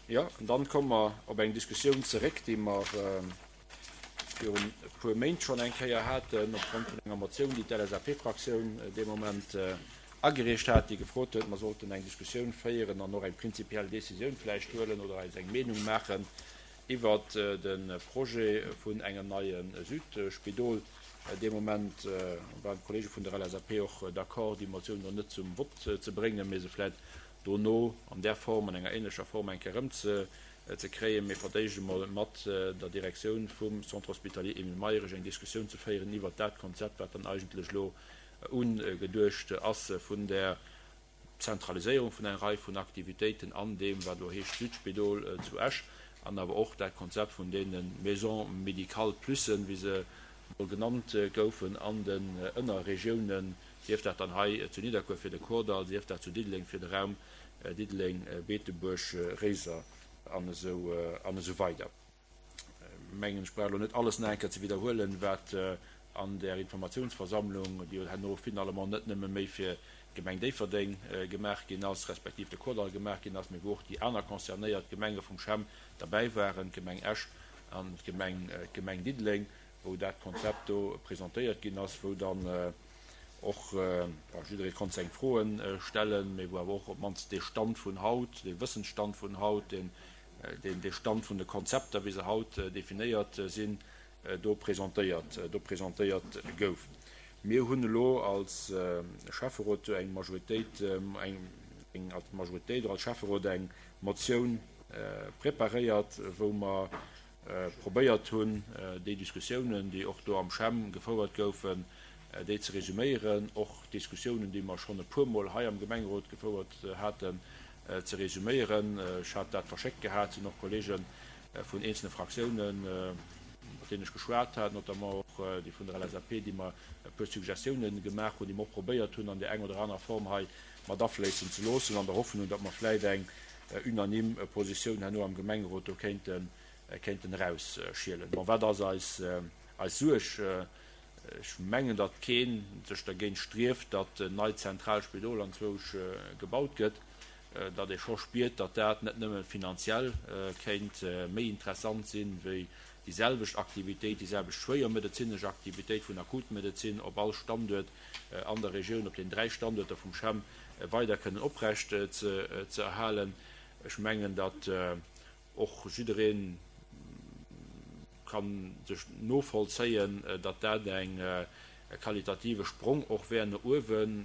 Jo, an dann komme mer op eng Diskussioun zeréck, déi mer virun e puer Méint schonn eng Kéier haten, opgrond vun enger Motioun, déi d'LSAP-Fraktioun dee Moment agereecht hat, déi gefrot huet, mer sollten eng Diskussioun féieren an och eng prinzipiell Décisioun vläicht huelen oder eis eng Meenung maachen iwwert de Projet vun engem neie Südspidol. Dee Moment waren d'Kollege vun der LSAP och d'accord, déi Motioun elo net zum Vott ze bréngen, mee se vläicht dono an där Form, an enger ähnlecher Form eng Kéier erëmzekréien, mee fir d'éischt emol mat der Direktioun vum Centre hospitalier Emile Mayrisch eng Diskussioun ze féieren iwwert dat Konzept, wat dann eigentlech elo ugeduecht ass vun där Zentraliséierung vun enger Rei vun Aktivitéiten an deem, wat elo heescht Südspidol zu Esch, an awer och dat Konzept vun deene Maisons médicales plussen, wéi se mol genannt goufen, an den Ënnerregiounen, sief dat dann hei zu Nidderkuer fir de Kordall, sief dat zu Diddeleng fir de Raum Diddeleng, Beetebuerg, Réiser an esou weider. Mengen, ech brauch elo net alles nach eng Kéier ze widderhuelen, wat an där Informatiounsversammlung, déi jo herno finalement net nëmme méi fir d'Gemeng Déifferdeng gemaach ginn ass, respektiv de Kordall gemaach ginn ass, mee wou och déi aner concernéiert Gemenge vum CHEM derbäi waren, d'Gemeng Esch an d'Gemeng Diddeleng, wou dat Konzept do presentéiert ginn ass, wou dann och, bon, jidderee konnt seng Froen stellen, mee wou awer och op d'mannst dee Stand vun haut, dee Wëssensstand vun haut, deen, dee Stand vun de Konzepter, wéi se haut definéiert sinn, do presentéiert, do presentéiert gouf. Mir hunn elo als Schäfferot eng Majoritéit, eng, als Majoritéit oder als Schäfferot eng Motioun preparéiert, wou mer probéiert hunn, déi Diskussiounen, déi och do am CHEM gefouert goufen, déi ze resuméieren, och Diskussiounen, déi mer schonn e puermol hei am Gemengerot gefouert haten, ze resuméieren. Ech hat dat verschéckt gehat, sinn och Kollege vun eenzele Fraktiounen, mat deenen ech geschwat hat, notamment och déi vun der LSAP, déi mer e puer Suggestiounen gemaach hunn, déi mer och probéiert hunn, an där eng oder anerer Form hei mat afléissen ze loossen, an der Hoffnung, datt mer vläicht eng unanime Positioun herno am Gemengerot do kéinten, kéinten erausschielen. Bon, wat ass eis, eis Suerg? Ech mengen, datt kee sech dergéint strieft, datt en neit zentraalt Spidol anzwousch gebaut gëtt, datt ee scho spiert, datt dat net nëmme finanziell kéint méi interessant sinn, wéi déi selwecht Aktivitéit, déi selwecht schwéiermedezinesch Aktivitéit vun Akutmedezin op all Standuert an der Regioun, op den 3 Standuerter vum CHEM weider kënnen oprecht ze erhalen. Ech mengen, datt och jidderee ka sech novollzéien, datt dat eng qualitative Sprong och wär no uewen,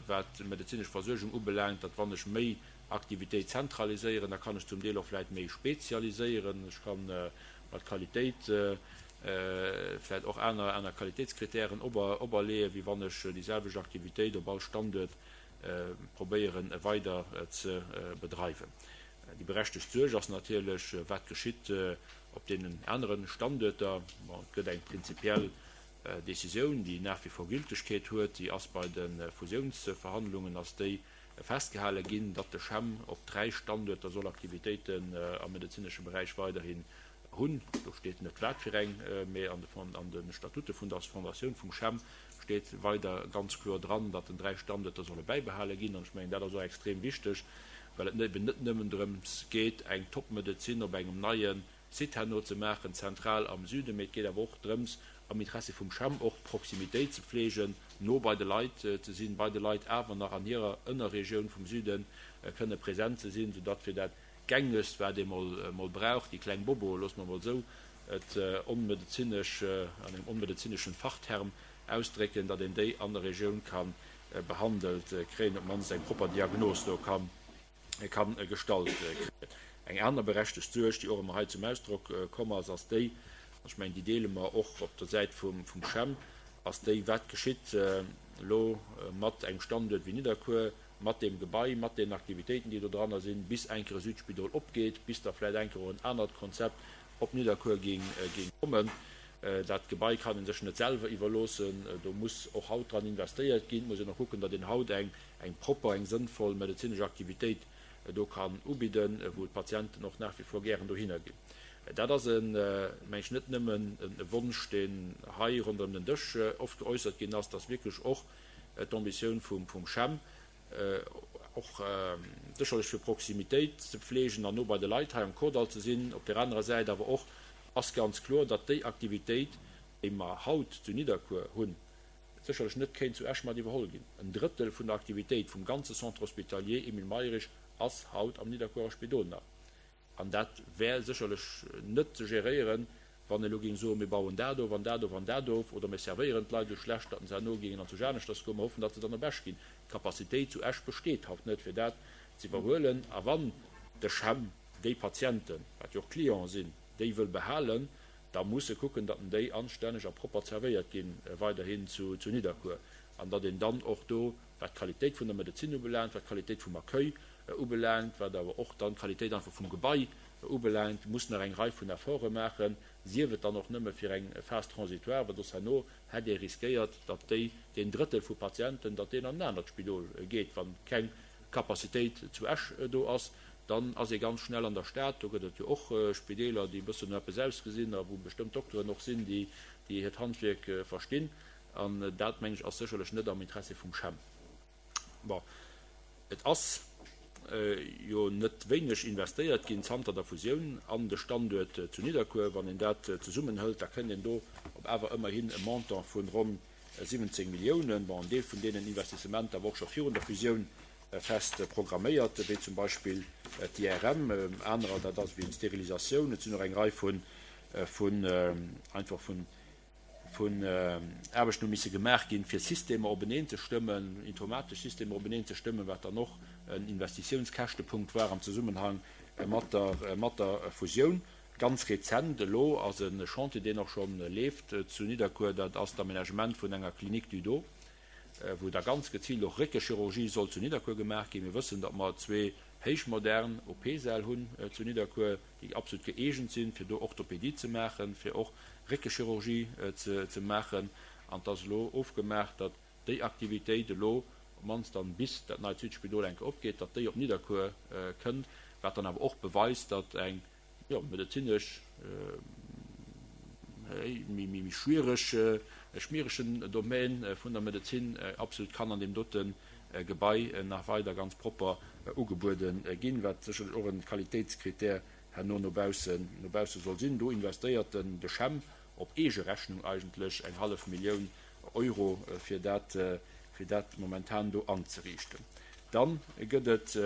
wat d'medezinesch Versuergung ubelaangt, datt wann ech méi Aktivitéit zentraliséieren, da kann ech zum Deel och vläicht méi spezialiséieren, ech ka mat Qualitéit vläicht och aner aner Qualitéitskritären operleeën, wéi wann ech déi selwecht Aktivitéit op all Standuert probéieren weider ze bedreiwen. Déi berechtegt Suerg ass natierlech, wat geschitt op deenen anere Standuerter. Bon, et gëtt eng prinzipiell Décisioun, déi nach wie vor Gültegkeet huet, déi ass bei de Fusiounsverhandlungen ass déi festgehale ginn, datt de CHEM op 3 Standuerter soll Aktivitéiten am medezinesche Beräich weiderhin hunn. Do steet net wat fir eng, mee an de Statute vun der Fondatioun vum CHEM steet weider ganz kloer dran, datt den 3 Standuerter solle bäibehale ginn. An ech mengen, dat ass och extrem wichteg, well et eben net nëmmen drëms geet, eng Topmedezin op engem neie Site herno ze maachen, zentral am Süden, mee et geet awer och drëms, am Interessi vum CHEM och Proximitéit ze pflegen, no bei de Leit ze sinn, bei de Leit awer nach an hirer Ënnerregioun vum Süde kënne present ze sinn, soudatt fir dat Gängegst, wat ee mol brauch, déi kleng Bobo, loosse mer mol esou et onmedezinesch, an engem onmedezineschen Fachterm ausdrécken, datt een déi an der Regioun ka behandelt kréien, op d'mannst eng propper Diagnos do ka gestallt kréien. Eng aner berechtegt Suerg, déi och ëmmer hei zum Ausdrock komm ass, ass déi, an ech mengen, déi deele mer och op der Säit vum CHEM, ass déi, Wat geschitt elo mat engem Standuert wéi Nidderkuer, mat deem Gebai, mat deenen Aktivitéiten, déi do dranner sinn, bis eng Kéier e Südspidol opgeet, bis da vläicht eng Kéier och en anert Konzept op Nidderkuer géing kommen. Dat Gebai kann ee sech net selwer iwwerloossen. Do muss och haut dran investéiert ginn. Et muss een och kucken, datt een haut eng propper, eng sënnvoll medezinesch Aktivitéit do kann ubidden, wou d'Patienten och nach wie vor gären dohinner ginn. Dat ass, meng ech, net nëmmen e Wonsch, deen hei ronderëm den Dësch oft geäussert ginn ass, dat ass wierklech och d'Ambitioun vum CHEM. Och sécherlech fir Proximitéit ze pflegen an no bei de Leit hei am Kordall ze sinn. Op där anerer Säit awer och ass ganz kloer, datt déi Aktivitéit, déi mer haut zu Nidderkuer hunn, sécherlech net kéint zu Esch mat iwwerholl ginn. En Drëttel vun der Aktivitéit vum ganze Centre hospitalier Emile Mayrisch ass haut am Nidderkuerer Spidol nach. An dat wär sécherlech net ze geréieren, wann ee elo géing soen, mir bauen dat of an dat of an dat of, oder mir servéieren d'Leit esou schlecht, datt se herno géingen an zu Aneschters goen. Mer hoffen, datt se dann op Esch ginn. D'Capacitéit zu Esch besteet haut net, fir dat ze iwwerhuelen. A wann de CHEM déi Patienten, wat jo och Clienten sinn, déi wëll behalen, da muss e kucken, datt en déi anstänneg a propper zerwéiert ginn weiderhin zu Nidderkuer an datt een dann och do, wat d'Qualitéit vun der Medezin ubelaangt, wat d'Qualitéit vum Accueil ubelaangt, wat awer och dann d'Qualitéit einfach vum Gebai ubelaangt, muss nach eng Rei vun Efforte maachen, sief et dann och nëmme fir eng Phase transitoire, well soss herno hätt ee riskéiert, datt déi, deen Drëttel vu Patienten, datt deen an en anert Spidol geet, wa keng Capacitéit zu Esch do ass. Dann ass ee ganz schnell an der Stad, do gëtt et jo och Spideeler, déi e bëssen no eppes ausgesinn a wou bestëmmt Dokteren och sinn, déi hiert Handwierk verstinn. An dat, mengen ech, ass sécherlech net am Interessi vum CHEM. Bon, et ass jo net wéineg investéiert ginn zanter der Fusioun an de Standuert zu Nidderkuer. Wann een dat zesummenhëlt, da kënnt een do op awer ëmmerhin e Montant vun ronn 17 Milliounen. Bon, en Deel vun deenen Investissementer war och scho virun der Fusioun fest programméiert, wéi zum Beispill d'IRM. Anerer, dat ass wéi d'Sterilisatioun. Et sinn och eng Rei vun, vun einfach vun, vun Aarbechten hu misse gemaach ginn, fir Systemer openeen ze stëmmen, informatesch Systemer openeen ze stëmmen, wat dann och en Investitiounskäschtepunkt war am Zesummenhang mat der, mat der Fusioun. Ganz rezent elo ass e Chantier, deen och scho leeft zu Nidderkuer, dat ass d'Aménagement vun enger Clinique du dos, wou da ganz geziilt och Réckechirurgie soll zu Nidderkuer gemaach ginn. Mir wëssen, datt mer zwee héichmodern OP-Säll hunn zu Nidderkuer, déi absolut gëeegent sinn, fir do Orthopédie ze maachen, fir och Réckechirurgie ze maachen. An et ass elo ofgemaach, datt déi Aktivitéit elo, op d'mannst dann bis dat neit Südspidol eng Kéier opgeet, datt déi op Nidderkuer kënnt, wat dann awer och beweist, datt eng, jo, medezinesch méi schwiereg, e schmieregen Domaine vun der Medezin absolut kann an deem dote Gebai nach weider ganz propper ugebuede ginn, wat sécherlech och e Qualitéitskrittär herno no baussen, no bausse soll sinn. Do investéiert den de CHEM op eege Rechnung eigentlech eng hallef Millioun Euro, fir dat, fir dat momentan do anzeriichten. Dann gëtt et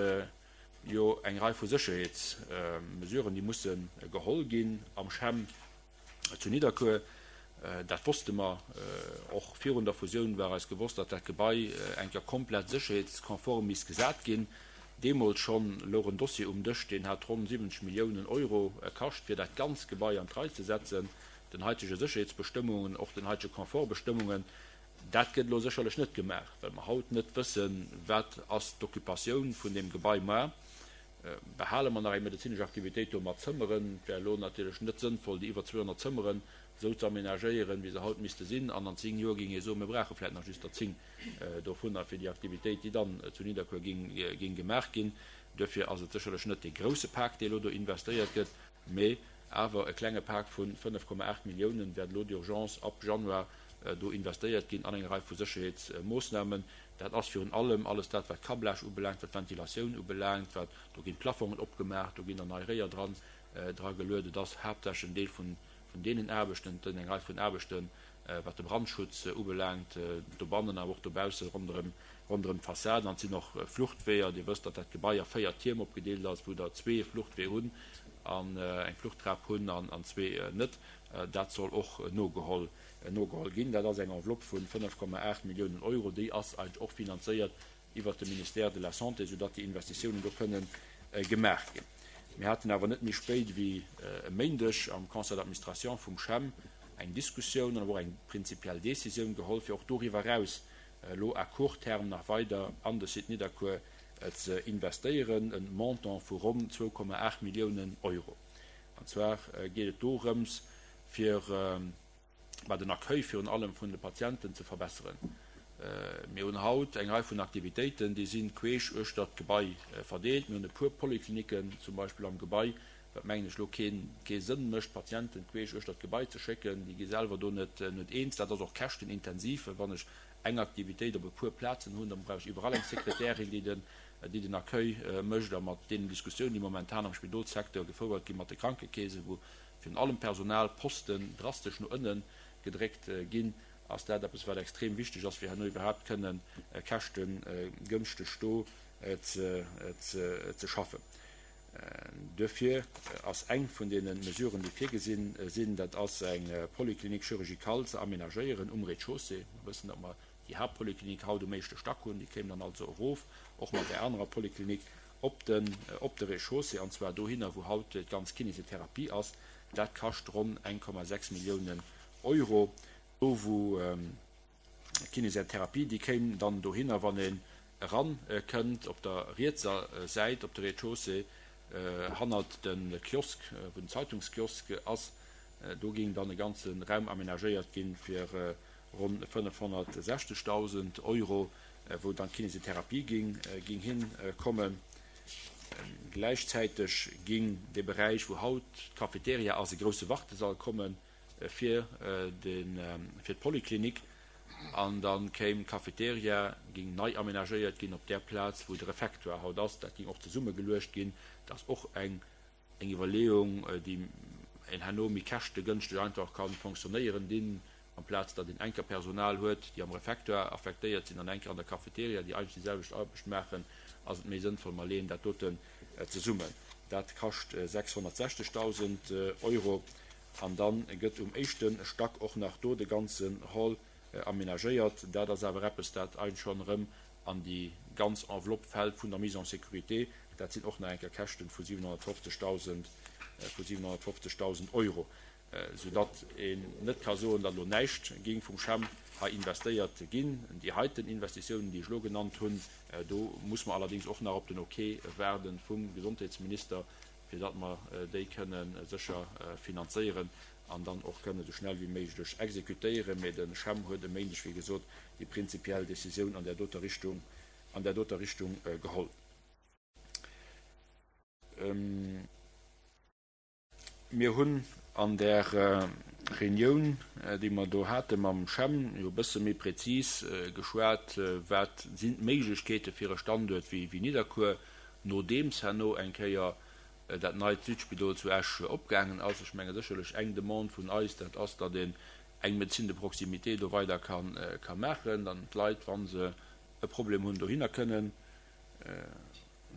jo eng Rei vu Sécherheetsmesuren, déi musse geholl ginn am CHEM zu Nidderkuer. Dat wosste mer och virun der Fusioun, war eis gewosst, datt dat Gebai eng Kéier komplett sécherheetskonform misst gesat ginn. Deemools schonn louch en Dossier um Dësch, deen hat ronn 70 Milliounen Euro kascht, fir dat ganz Gebai an d'Rei ze setzen, den haitege Sécherheetsbestëmmungen, och den haitege Confortbestëmmungen. Dat gëtt elo sécherlech net gemaach, well mer haut net wëssen, wat ass d'Occupatioun vun deem Gebai. Mä behale mer nach eng medezinesch Aktivitéit do mat Zëmmeren? Et wär elo natierlech net sënnvoll, déi iwwer 200 Zëmmeren esou ze aménagéieren, wéi se haut misste sinn. An an 10 Joer géing ee soen, mir brauche vläicht nach just der 10 dovunner fir déi Aktivitéit, déi dann zu Nidderkuer géing gemaach ginn. Duerfir ass et sécherlech net dee grouse Pak, dee elo do investéiert gëtt, mee awer e klenge Pak vu 5,8 Milliounen wäert elo d'urgence ab Januar do investéiert ginn an eng Rei vu Sécherheetsmoossnamen. Dat ass virun allem alles dat, wat Câblage ubelaangt, wat Ventilatioun ubelaangt, wat, do ginn d'Plafongen opgemaach, do ginn der nei Réier dran, dra geluet. Et ass haaptsächlech en Deel vun, vun deenen Aarbechten, et sinn eng Rei vun Aarbechten, wat de Brandschutz ubelaangt, dobannen, awer och dobausse ronderëm, ronderëm d'Fassaden. An et sinn och Fluchtweeër. Dir wësst, datt dat Gebai a 4 Tierm opgedeelt ass, wou der zwee Fluchtweeër hunn an eng Fluchttrap hunn an zwee net. Dat soll och nogeholl nogeholl ginn. Dat ass eng Enveloppe vu 5,8 Milliounen Euro. Déi ass eigentlech och finanzéiert iwwert de Ministère de la Santé, soudatt déi Investitiounen do kënnen gemaach ginn. Mir haten awer net méi spéit wéi e Méindeg am Conseil d'administration vum CHEM eng Diskussioun an awer och eng prinzipiell Décisioun geholl, fir och doriwwer eraus elo à court terme nach weider an de Site Nidderkuer ze investéieren, e Montant vu ronn 2,8 Milliounen Euro. An zwar geet et dorëms, fir bah, den Accueil virun allem vun de Patienten ze verbesseren. Mir hunn haut eng Rei vun Aktivitéiten, déi si queesch uechter d'Gebai verdeelt. Mir hunn e puer Polykliniken zum Beispill am Gebai, wat mengen ech elo kee Sënn mécht, Patienten queesch uechter d'Gebai ze schécken. Déi gi selwer do net eens. Dat ass och käschtenintensiv, well wann ech eng Aktivitéit op e puer Plazen hunn, da brauch ech iwwerall eng Sekretärin, déi den. déi den Accueil mécht, a mat deenen Diskussiounen, déi momentan am Spidolssecteur gefouert gi mat de Krankekeesen, wou virun allem Personalposten drastesch no ënne gedréckt ginn, ass dat eppes, wat extrem wichteg ass, fir herno iwwerhaapt kënne käschtegënschteg do ze schaffen. Duerfir ass eng vun deene Mesuren, déi virgesinn sinn, dat ass eng Polyclinique chirurgicale ze aménagéieren um Rez-de-chaussée. Mer wëssen, datt mer déi Haaptpolyclinique haut um éischte Stack hunn. Déi kéim dann also erof, och mat där anerer Polyclinique, op de op de Rez-de-chaussée, an zwar dohinner, wou haut d'ganz Kinésithérapie ass. Dat kascht ronn 1,6 Milliounen Euro. Do wou d'Kinésithérapie, déi kéim dann dohinner, wann een eran kënnt, op der rietser Säit op de Rez-de-chaussée, hannert de Kiosk, wou den Zeitungskiosk ass. Do géing dann e ganze Raum aménagéiert ginn fir ronn 560.000 Euro, wou dann d'Kinésithérapie ging hinkommen. Gläichzäiteg ging dee Beräich, wou haut d'Cafeteria ass, e grousse Wartesall komme fir d'Polyclinique. An da kéim d'Cafeteria, ging nei aménagéiert ginn op där Plaz, wou de Refectoire haut ass. Dat ging och zesummegeluecht ginn. Dat ass och eng Eng Iwwerleeung, déi een herno méi käschtegënschteg einfach ka fonctionnéieren dinn, amplaz datt een enker Personal huet, déi am Refectoire affektéiert sinn an enker an der Cafeteria, déi eigentlech déi selwecht Aarbecht maachen, ass et méi sënnvoll, mer leeën dat doten zesummen. Dat kascht 660.000 Euro. An da gëtt um éischte Stack och nach do de ganzen Hall aménagéiert. Dat ass awer eppes, dat eigentlech schonn erëm an déi ganz Enveloppe fält vun der Mise en sécurité. Dat sinn och nach eng Kéier Käschten vu 750.000, vu 750.000 Euro, soudatt een net ka soen, datt elo näischt géing vum CHEM hei investéiert ginn. Déi heiten Investitiounen, déi ech elo genannt hunn, do muss mer allerdéngs och nach op den Ok waarde vum Gesondheetsminister, fir datt mer déi kënne sécher finanzéieren an dann och kënne esou schnell wéi méiglech exekutéieren. Mee de CHEM huet e Méindeg, wéi gesot, déi prinzipiell Décisioun an där doter Richtung, an där doter Richtung geholl. Mir hunn an där Reunioun, déi mer do hate mam CHEM, jo e bësse méi prezis geschwat, wat sinn d'Méiglechkeete fir e Standuert wéi Nidderkuer, nodeems herno eng Kéier dat neit Südspidol zu Esch opgaangen ass. Ech menge sécherlech eng Demande vun eis, dat ass, datt een eng Médecine de proximité do weider ka maachen, dann d'Leit, wa se e Problem hunn, dohinner kënnen,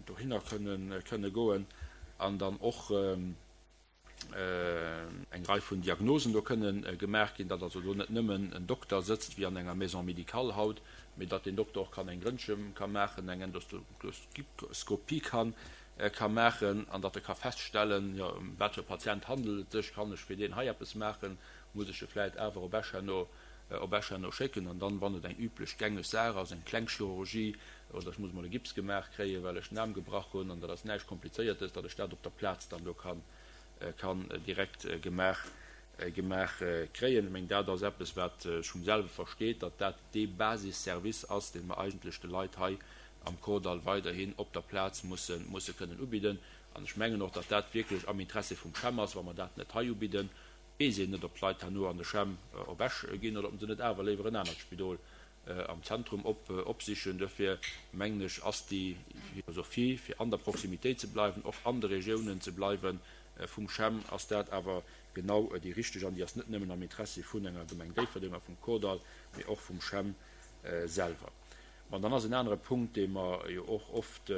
dohinner kënnen, kënne goen an dann och eng Rei vun Diagnosen do kënnen gemaach ginn, datt also do net nëmmen en Dokter sëtzt wéi an enger Maison médicale haut, mee datt deen Dokter och kann eng Röntge ka maachen, eng Endoskopie kann ka maachen an datt e ka feststellen, jo, ëm wat fir e Patient handelt et sech, kann ech fir deen hei eppes maachen, muss ech e vläit awer op Esch herno, op Esch herno schécken. An dann, wann et eng üblech gängeg Saach ass, eng kleng Chirurgie oder ech muss emol e Gips gemaach kréien, well ech den Aarm gebrach hunn an dat ass näischt Komplizéiertes, datt ech dat op der Plaz dann do kann, kann direkt gemaach, gemaach kréien. Ech mengen, dat ass eppes, wat sech vum selwe versteet, datt dat dee Basisservice ass, dee mer eigentlech de Leit hei am Kordall weiderhin op der Plaz mussen, musse kënnen ubidden. An ech mengen och, datt dat wierklech am Interessi vum CHEM ass, wa mer dat net hei ubidden. Weess een net, ob d'Leit herno an de CHEM op Esch ginn oder ob se net awer léiwer en anert Spidol am Zentrum opsichen. Duerfir mengen ech, ass déi Philosophie, fir an der Proximitéit ze bleiwen, och an de Regiounen ze bleiwen, vum CHEM, ass dat awer genau déi richteg. An déi ass net nëmmen am Interessi vun enger Gemeng Déifferdeng a vum Kordall, mee och vum CHEM selwer. An dann ass en anere Punkt, dee mer jo och oft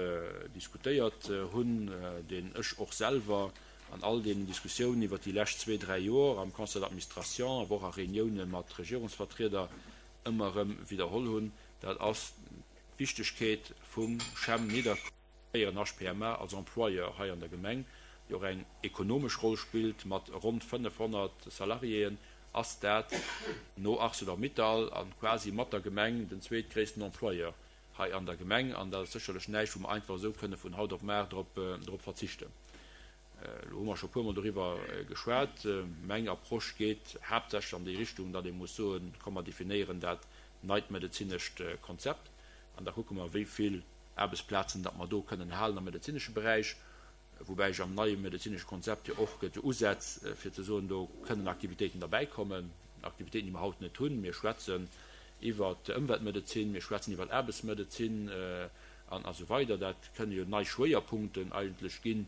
diskutéiert hunn, deen ech och selwer an all deenen Diskussiounen iwwert déi lescht zwee, dräi Jor am Conseil d'administration, awer och a Reunioune mat Regierungsvertrieder ëmmer erëm widderholl hunn, dat ass d'Wichtegkeet vum CHEM Nidderkuer, fréieren HPMA, als Employeur hei an der Gemeng, déi och eng ekonomesch Roll spillt mat ronn 500 Salariéen, ass dat no Arcelor-Mittal a quasi mat der Gemeng den zweetgréissten Employeur hei an der Gemeng. An dat ass sécherlech näischt, wou mer einfach esou kënne vun haut op mar drop verzichten. Elo hu mer scho e puermol doriwwer geschwat. Meng Approche geet haaptsächlech an déi Richtung, datt ee muss soen, komm mer definéieren dat neit medezinescht Konzept an da kucke mer, wéi vill Aarbechtsplazen datt mer do kënnen halen am medezinesche Beräich. Woubäi ech am neie medezinesche Konzept jo och gëtt jo Usätz, fir ze soen, do kënnen Aktivitéiten derbäikommen, Aktivitéiten, déi mer haut net hunn. Mir schwätzen iwwert Ëmweltmedezin, mir schwätzen iwwert Aarbechtsmedezin. An esou weider. Dat kënne jo nei Schwéierpunkten eigentlech gi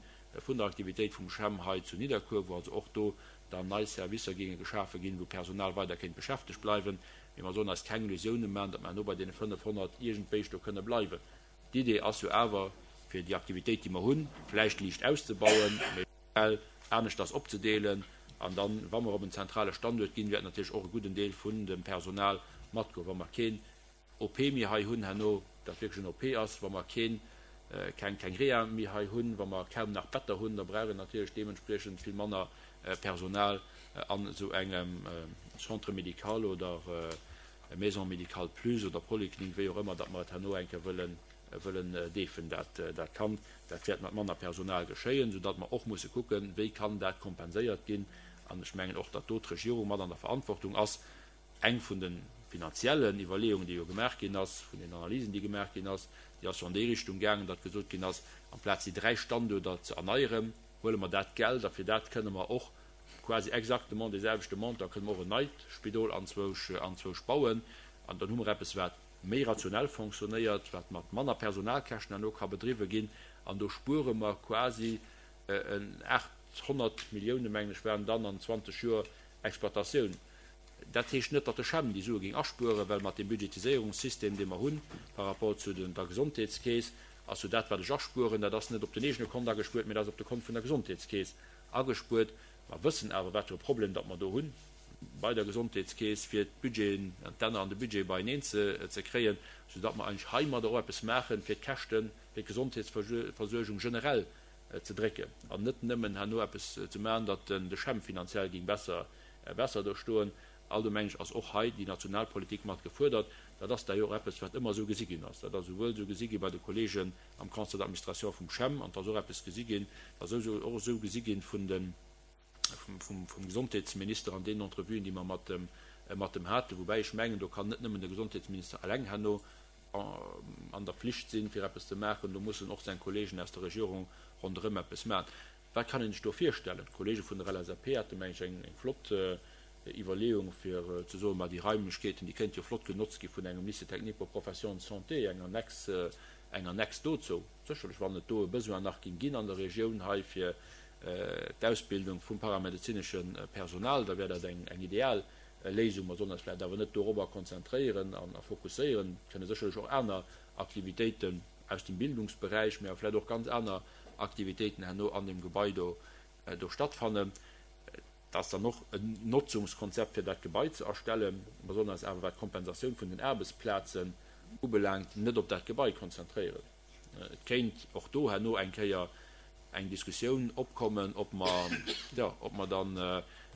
vun der Aktivitéit vum CHEM hei zu Nidderkuer, wou also och do dann nei Servicer géinge geschafe ginn, wou Personal weider kéint beschäftegt bleiwen. Mee mer sollen eis keng Illusiounen maachen, datt mer herno bei deene 500 iergendwéi do kënne bleiwen. D'Idee ass jo awer, fir déi Aktivitéit, déi mer hunn, vläicht liicht auszebauen, mee generell aneschters opzedeelen. An dann, wa mer op en zentrale Standuert ginn, wäert natierlech och e gudden Deel vun dem Personal matgoen. Wa mer keen OP méi hei hunn herno, dat wierklech en OP ass, wa mer keen, keng, keng Reha méi hei hunn, wa mer kaum nach Better hunn, da brauch een natierlech deementspriechend vill manner Personal an esou engem Centre médical oder Maison médicale plus oder Poliklinik, wéi och ëmmer datt mer et herno eng Kéier wëllen, wëllen deefen. Dat, dat kann, dat wäert mat manner Personal geschéien, soudatt mer och musse kucken, wéi kann dat kompenséiert ginn. An ech mengen och, datt do d'Regierung mat an der Verantwortung ass, Eng vun de finanziellen Iwwerleeungen, déi jo gemaach ginn ass, vun den Analysen, déi gemaach ginn ass, déi ass jo an déi Richtung gaangen, datt gesot ginn ass, amplaz déi 3 Standuerter ze erneieren, huele mer dat Geld a fir dat kënne mer och quasi exactement dee selwechte Montant kënne mer och en neit Spidol anzwousch anzwousch bauen. An dann hu mer eppes, wat méi rationell fonctionnéiert, wat mat manner Personalkäschten herno ka bedriwwe ginn. An do spuere mer quasi en 800 Milliounen, mengen ech, waren dann an 20 Joer Exploitatioun. Dat heescht net, datt de CHEM déi Sue géing aspueren, well mat deem Budgetiséierungssystem, dee mer hunn par rapport zu der Gesondheetskeess, ass jo dat, wat ech aspueren, dat ass net op den eegene Kont agespuert, mee dat ass op de Kont vun der Gesondheetskeess agespuert. Mer wëssen awer, wat fir e Problem datt mer do hu bei der Gesondheetskeess, fir d'Budgeten, d'Enner an de Budget beieneen ze kréien, soudatt mer eigentlech heimadder och eppes maachen, fir d'Käschte fir d'Gesondheetsversuergung generell ze drécken an net nëmmen herno eppes ze maachen, datt de CHEM finanziell géing besser besser do stoen. Allgemeng ass och hei déi national Politik mat gefuerdert. Dat ass d'ailleurs och eppes, wat ëmmer esou gesi ginn ass. Dat ass esouwuel esou gesi gi bei de Kollegen am Conseil d'administration vum CHEM an et ass och eppes gesi ginn, dat ass och esou gesi ginn vun de, vum, vum Gesondheetsminister an deenen Entrevuen, déi mer mat em, mat em haten. Woubäi ech mengen, do kann net nëmmen de Gesondheetsminister eleng herno an der Pflicht sinn, fir eppes ze maachen. Do mussen och seng Kollegen aus der Regierung ronderëm eppes maachen. Wat kann een sech do virstellen? D'Kollege vun der LSAP hate meng ech eng flott Iwwerleeung fir ze soen, ma déi Raimlechkeeten, déi kéinte jo flott genotzt gi vun engem Lycée technique pour professions de santé, eng Annexe, eng Annexe dozou. Sécherlech, wann et do e Besoin nach géing ginn an der Regioun hei fir d'Ausbildung vum paramedezinesche Personal, da wär dat eng ideal Léisung. Mer sollen eis vläicht awer net dorobber konzentréieren a fokusséieren. Et kënne sécherlech och aner Aktivitéiten aus dem Bildungsberäich, mä vläicht och ganz aner Aktivitéiten herno an deem Gebai do do stattfannen. Et ass dann och en Notzungskonzept fir dat Gebai ze erstellen. Mer sollen eis awer, wat d'Kompensatioun vun den Aarbechtsplazen ubelaangt, net op dat Gebai konzentréieren. Et kéint och do herno eng Kéier eng Diskussioun opkommen, ob mer, jo, ob mer dann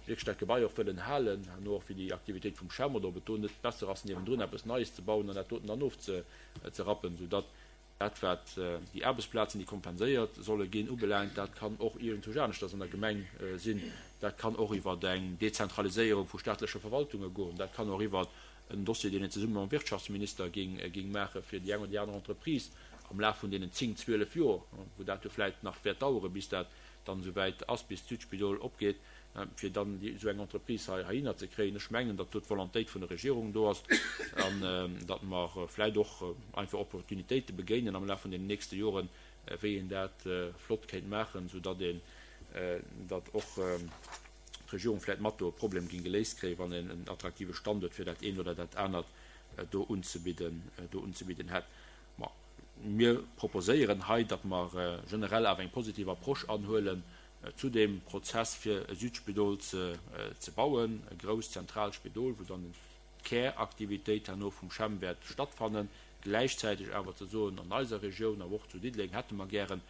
wierklech dat Gebai och wëllen halen, herno och fir déi Aktivitéit vum CHEM, oder ob et do net besser ass, niewendrun eppes Neies ze bauen an dat doten dann ofzerappen, soudatt Dat, wat déi Aarbechtsplazen, déi kompenséiert solle ginn, ubelaangt, dat kann och iergendwousch aneschters an der Gemeng sinn. Dat kann och iwwer eng Dezentraliséierung vu staatleche Verwaltunge goen. Dat kann och iwwer en Dossier, deen een zesumme mam Wirtschaftsminister géing maachen, fir déi eng oder déi aner Entreprise am Laf vun deenen zéng, 12 Joer, wou dat jo vläicht nach wäert daueren, bis dat dann esouwäit ass, bis d'Südspidol opgeet, fir dann esou eng Entreprise hei heihinner ze kréien. Ech mengen, datt do d'Volontéit vun der Regierung do ass an datt mer vläicht och einfach Opportunitéite begéinen am Laf vun deenen nächste Joren, wéi een dat flott kéint maachen, soudatt een, datt och d'Regierung vläicht mat do e Problem géing geléist kréien, wann een en attraktive Standuert fir dat eent oder dat anert do unzebidden, do unzebidden hätt. Ma mir proposéieren hei, datt mer generell awer eng positiv Approche anhuelen zu deem Prozess, fir e Südspidol ze bauen, e grousst zentraalt Spidol, wou dann d'Käraktivitéit herno vum CHEM wäert stattfannen. Gläichzäiteg awer ze soen, an eiser Regioun, awer och zu Diddeleng hätte mer gären,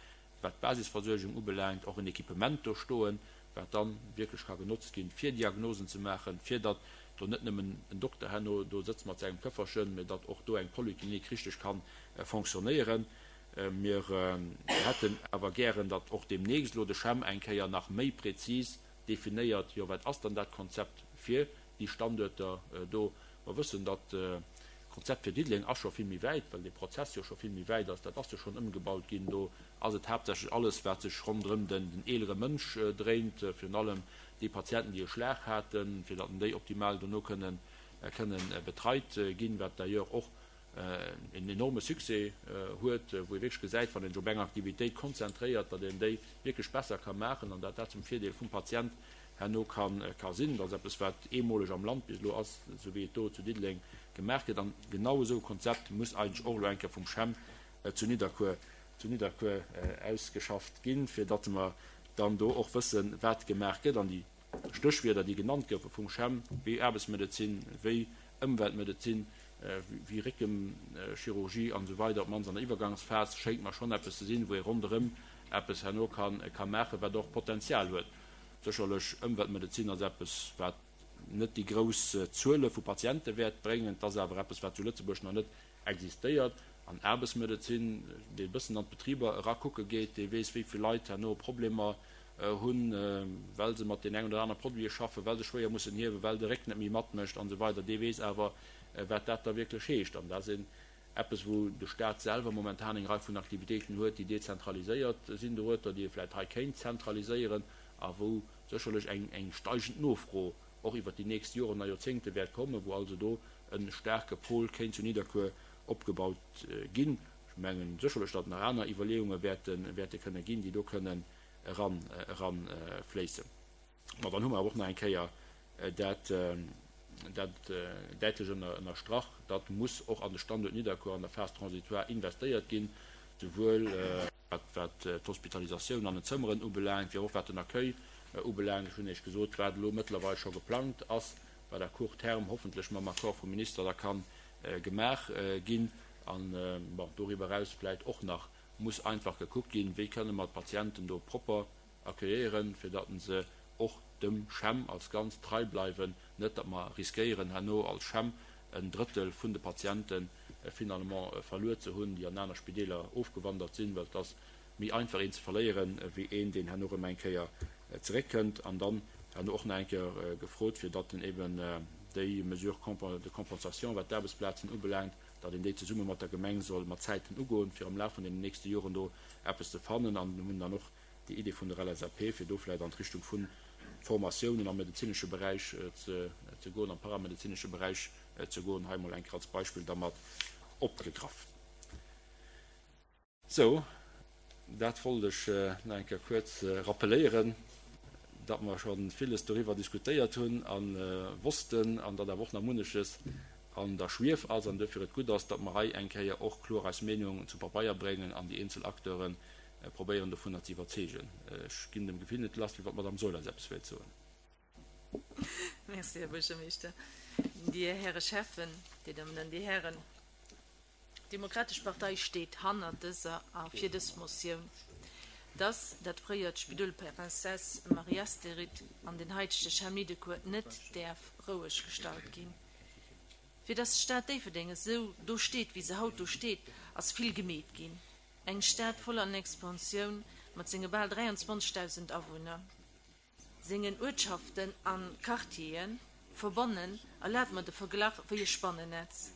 wat d'Basisversuergung ubelaangt, och en Equipement do stoen, wat dann wierklech ka genotzt ginn, fir Diagnosen ze maachen, fir datt do net nëmmen en Dokter herno do sëtzt mat sengem Këfferchen, mä datt och do eng Polyclinique richteg ka fonctionnéieren. Mir hätten awer gären, datt och deemnächst elo de CHEM eng Kéier nach méi prezis definéiert, jo wat ass dann dat Konzept fir déi Standuerter do. Mer wëssen, datt d'Konzept fir Diddeleng ass scho vill méi wäit, well dee Prozess jo scho vill méi wäit ass. Dat ass jo schonn ëmgebaut ginn. Do ass et haaptsächlech alles, wat sech ronderëm den eelere Mënsch dréint, virun allem déi Patienten, déi e Schlag haten, fir datt déi optimal dono kënnen betreit ginn, wat d'ailleurs och. en enorme Succès huet, wou ee wierklech gesäit, wann een sech op eng Aktivitéit konzentréiert, datt een déi wierklech besser ka maachen an datt dat zum Virdeel vum Patient herno ka sinn. Dat ass eppes, wat eemoleg am Land bis elo ass, esou wéi et do zu Diddeleng gemaach gëtt. An genau esou e Konzept muss eigentlech och elo eng Kéier vum CHEM zu Nidderkuer, zu Nidderkuer ausgeschafft ginn, fir datt mer dann do och wëssen, wat gemaach gëtt. An déi Stéchwierder, déi genannt goufe vum CHEM, wéi Aarbechtsmedezin, wéi Ëmweltmedezin, wéi Réckenchirurgie an esou weider, op d'mannst an der Iwwergangsphas, schéngt mer schonn eppes ze sinn, wou ee ronderëm eppes herno ka maachen, wat och Potenzial huet. Sécherlech, Ëmweltmedezin ass eppes, wat net déi grouss Zuele vu Patiente wäert bréngen. Et ass awer eppes, wat zu Lëtzebuerg nach net existéiert. An Aarbechtsmedezin, dee e bëssen an d'Betriber erakucke geet, dee weess, wéi vill Leit herno Problemer hunn, well se mat deenen engen oder anere Produite schaffen, well se schwéier mussen hiewen, well de Réck net méi matmécht an esou weider, dee weess awer, wat dat da wierklech heescht. An dat ass een eppes, wou de Stat selwer momentan eng Rei vun Aktivitéiten huet, déi dezentraliséiert sinn dorueter, déi ee vläicht hei kéint zentraliséieren a wou sécherlech eng steigend Nofro och iwwert déi nächst Joren a Joerzéngte wäert kommen, wou also do e staarke Pol kéint zu Nidderkuer opgebaut ginn. Ech mengen sécherlech, datt nach aner Iwwerleeunge wäerte kënne ginn, déi do kënnen eranfléissen. Ma dann hu mer awer och nach eng Kéier dat däitlech ënnerstrach, datt muss och an de Standuert Nidderkuer an der Phase transitoire investéiert ginn, souwuel wat d'Hospitalisatioun an den Zëmmeren ubelaangt, wéi och wat den Accueil ubelaangt. Ech hunn Iech gesot, wat elo mëttlerweil scho geplangt ass, wat à court terme hoffentlech mam Accord vum Minister da ka gemaach ginn. An, bon, doriwwer eraus vläicht och nach muss einfach gekuckt ginn, wéi kënne mer d'Patienten do propper accueilléieren, fir datt se och dem CHEM als Ganzt trei bleiwen, net datt mer riskéieren herno als CHEM en Drëttel vun de Patiente finalement verluer ze hunn, déi an aner Spideeler ofgewandert sinn, well et ass méi einfach een ze verléieren, wéi een deen herno erëm eng Kéier zeréckkënnt. An dann herno och nach eng Kéier gefrot, fir datt en eben déi Mesure de compensation, wat d'Aarbechtsplazen ubelaangt, datt een déi zesumme mat der Gemeng soll mat Zäiten ugoen, fir am Laf vun deenen nächste Joren do eppes ze fannen. An hunn dann och déi Idee vun der LSAP, fir do vläicht an d'Richtung vu Formatiounen am medezinesche Beräich ze goen, am paramedezinesche Beräich ze goen, hei emol eng Kéier als Beispill da mat opgegraff. Sou, dat wollt ech nach eng Kéier kuerz rappeléieren, datt mer scho villes doriwwer diskutéiert hunn a wossten an datt awer och nach munneches an der Schwief ass an duerfir et gutt ass, datt mer hei eng Kéier och kloer eis Meenung zu Pabeier bréngen an déi eenzel Acteure probéieren dovunner ze iwwerzeegen. Ech ginn dem Gefill net lass, wéi wann d'Madame Saeul eis eppes wéilt soen. Merci, Här Buergermeeschter. Dir Häre Schäffen, Dir Dammen an Dir Hären, d'Demokratesch Partei steet hannert dëser a fir dës Motioun, dass dat fréiert Spidol Princesse Marie-Asterid an den haitege CHEM Nidderkuer net däerf roueg gestallt ginn. Fir dass d'Stad Déifferdeng esou do steet, wéi se haut do steet, ass vill gemeet ginn. Eng Stad voll an Expansioun mat senge bal 23.000 Awunner, sengen Uertschaften an Quartieren verbonnen, erlaabt mer de Verglach wéi e Spannennetz.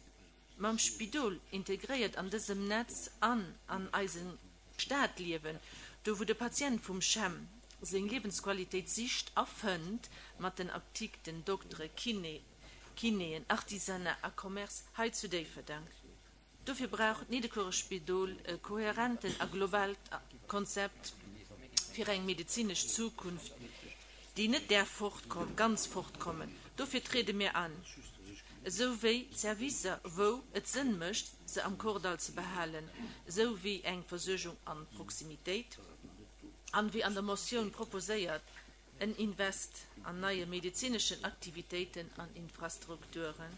Mam Spidol integréiert an dësem Netz an an eisem Stadliewen, do wou de Patient vum CHEM seng Liewensqualitéit sicht a fënnt, mat den Apdikten, Doktere, Kiné, Kinéen, Artisanat a Commerce hei zu Déifferdeng. Dofir brauch d'Nidderkuerer Spidol e kohärenten a globaalt Konzept fir eng medezinesch Zukunft, déi net däerf fortkommen, ganz fortkommen. Dofir triede mir an, esou wéi d'Servicer, wou et Sënn mécht, se am Kordall ze behalen, esou wéi eng Versuergung an Proximitéit an, wéi an der Motioun proposéiert, En Invest an neie medezineschen Aktivitéiten an Infrastrukturen.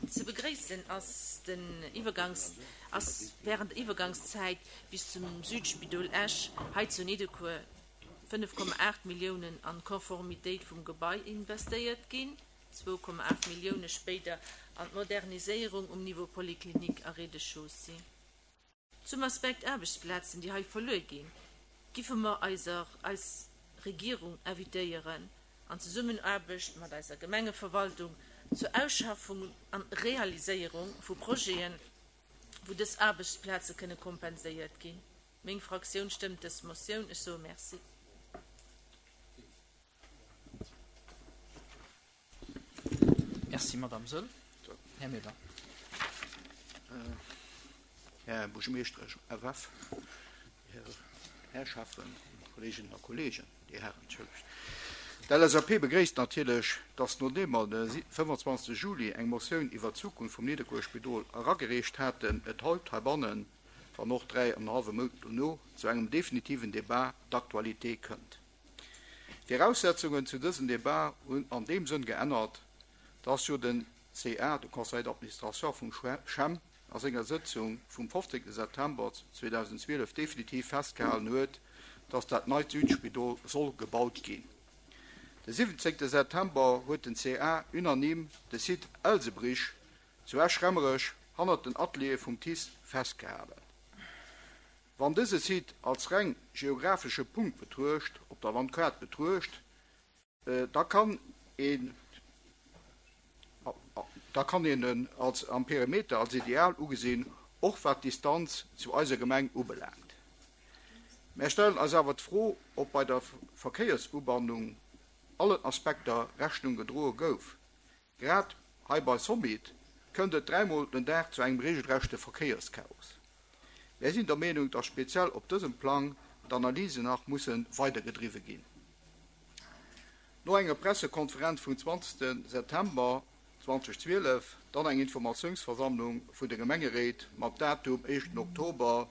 Ze begréissen ass den Iwwergangs ass während der Iwwergangszäit bis zum Südspidol Esch hei zu Nidderkuer 5,8 Milliounen an d'Konformitéit vum Gebai investéiert ginn, 2,8 Millioune spéider an d'Moderniséierung um Niveau Polyclinique a Rez-de-chaussée. Zum Aspekt Aarbechtsplazen, déi hei verluer ginn, giffe mer eiser eis Regierung invitéieren, an Zesummenaarbecht mat eiser Gemengeverwaltung zur Ausschaffung an Realiséierung vu Projeten, wou dës Aarbechtsplaze kënne kompenséiert ginn. Meng Fraktioun stëmmt dës Motioun. Ech soe Merci. Merci, Madame Saeul. Här Meder. Här Buergermeeschter FF, Dir Här Schäffen, Kolleeginnen a Kolleegen, Dir Hären, entschëllegt. D'LSAP begréisst natierlech, dass nodeem mer de 25 Juli eng Motioun iwwert d'Zukunft vum Nidderkuer Spidol eragereecht haten, et haut heibannen, wann och 3 an en hallwe Mount dono, zu engem definitiven Débat d'actualité kënnt. D'Viraussetzungen zu dësem Débat hunn an deem Sënn geännert, dass jo den CA, de Conseil d'administration vum CHEM, a senger Sëtzung vum 15 September 2012 definitiv festgehalen huet, dass dat neit Südspidol soll gebaut ginn. De 17 September huet den CA unanime de Site Elsebrich zu Esch-Remmerech hannert den Ateliere vum TICE festgehalen. Wann dëse Site als reng geographesche Punkt betruecht, op der Landkaart betruecht, Da kann een da kann een en als am Perimeter als ideal ugesinn, och wat d'Distanz zu eiser Gemeng ubelaangt. Mär stellen eis awer d'Fro, ob bei der Verkéiersubannung allen Aspekter Rechnung gedroe gouf. Grad hei bei Somit kënnt et dräimol den Dag zu engem regelrechte Verkéierschaos. Mär sinn der Meenung, dass speziell op dësem Plang d'Analysen nach musse weidergedriwwe ginn. No enger Pressekonferenz vum 20 September 2012, dann eng Informatiounsversammlung vun de Gemengeréit mat Datum éischten Oktober,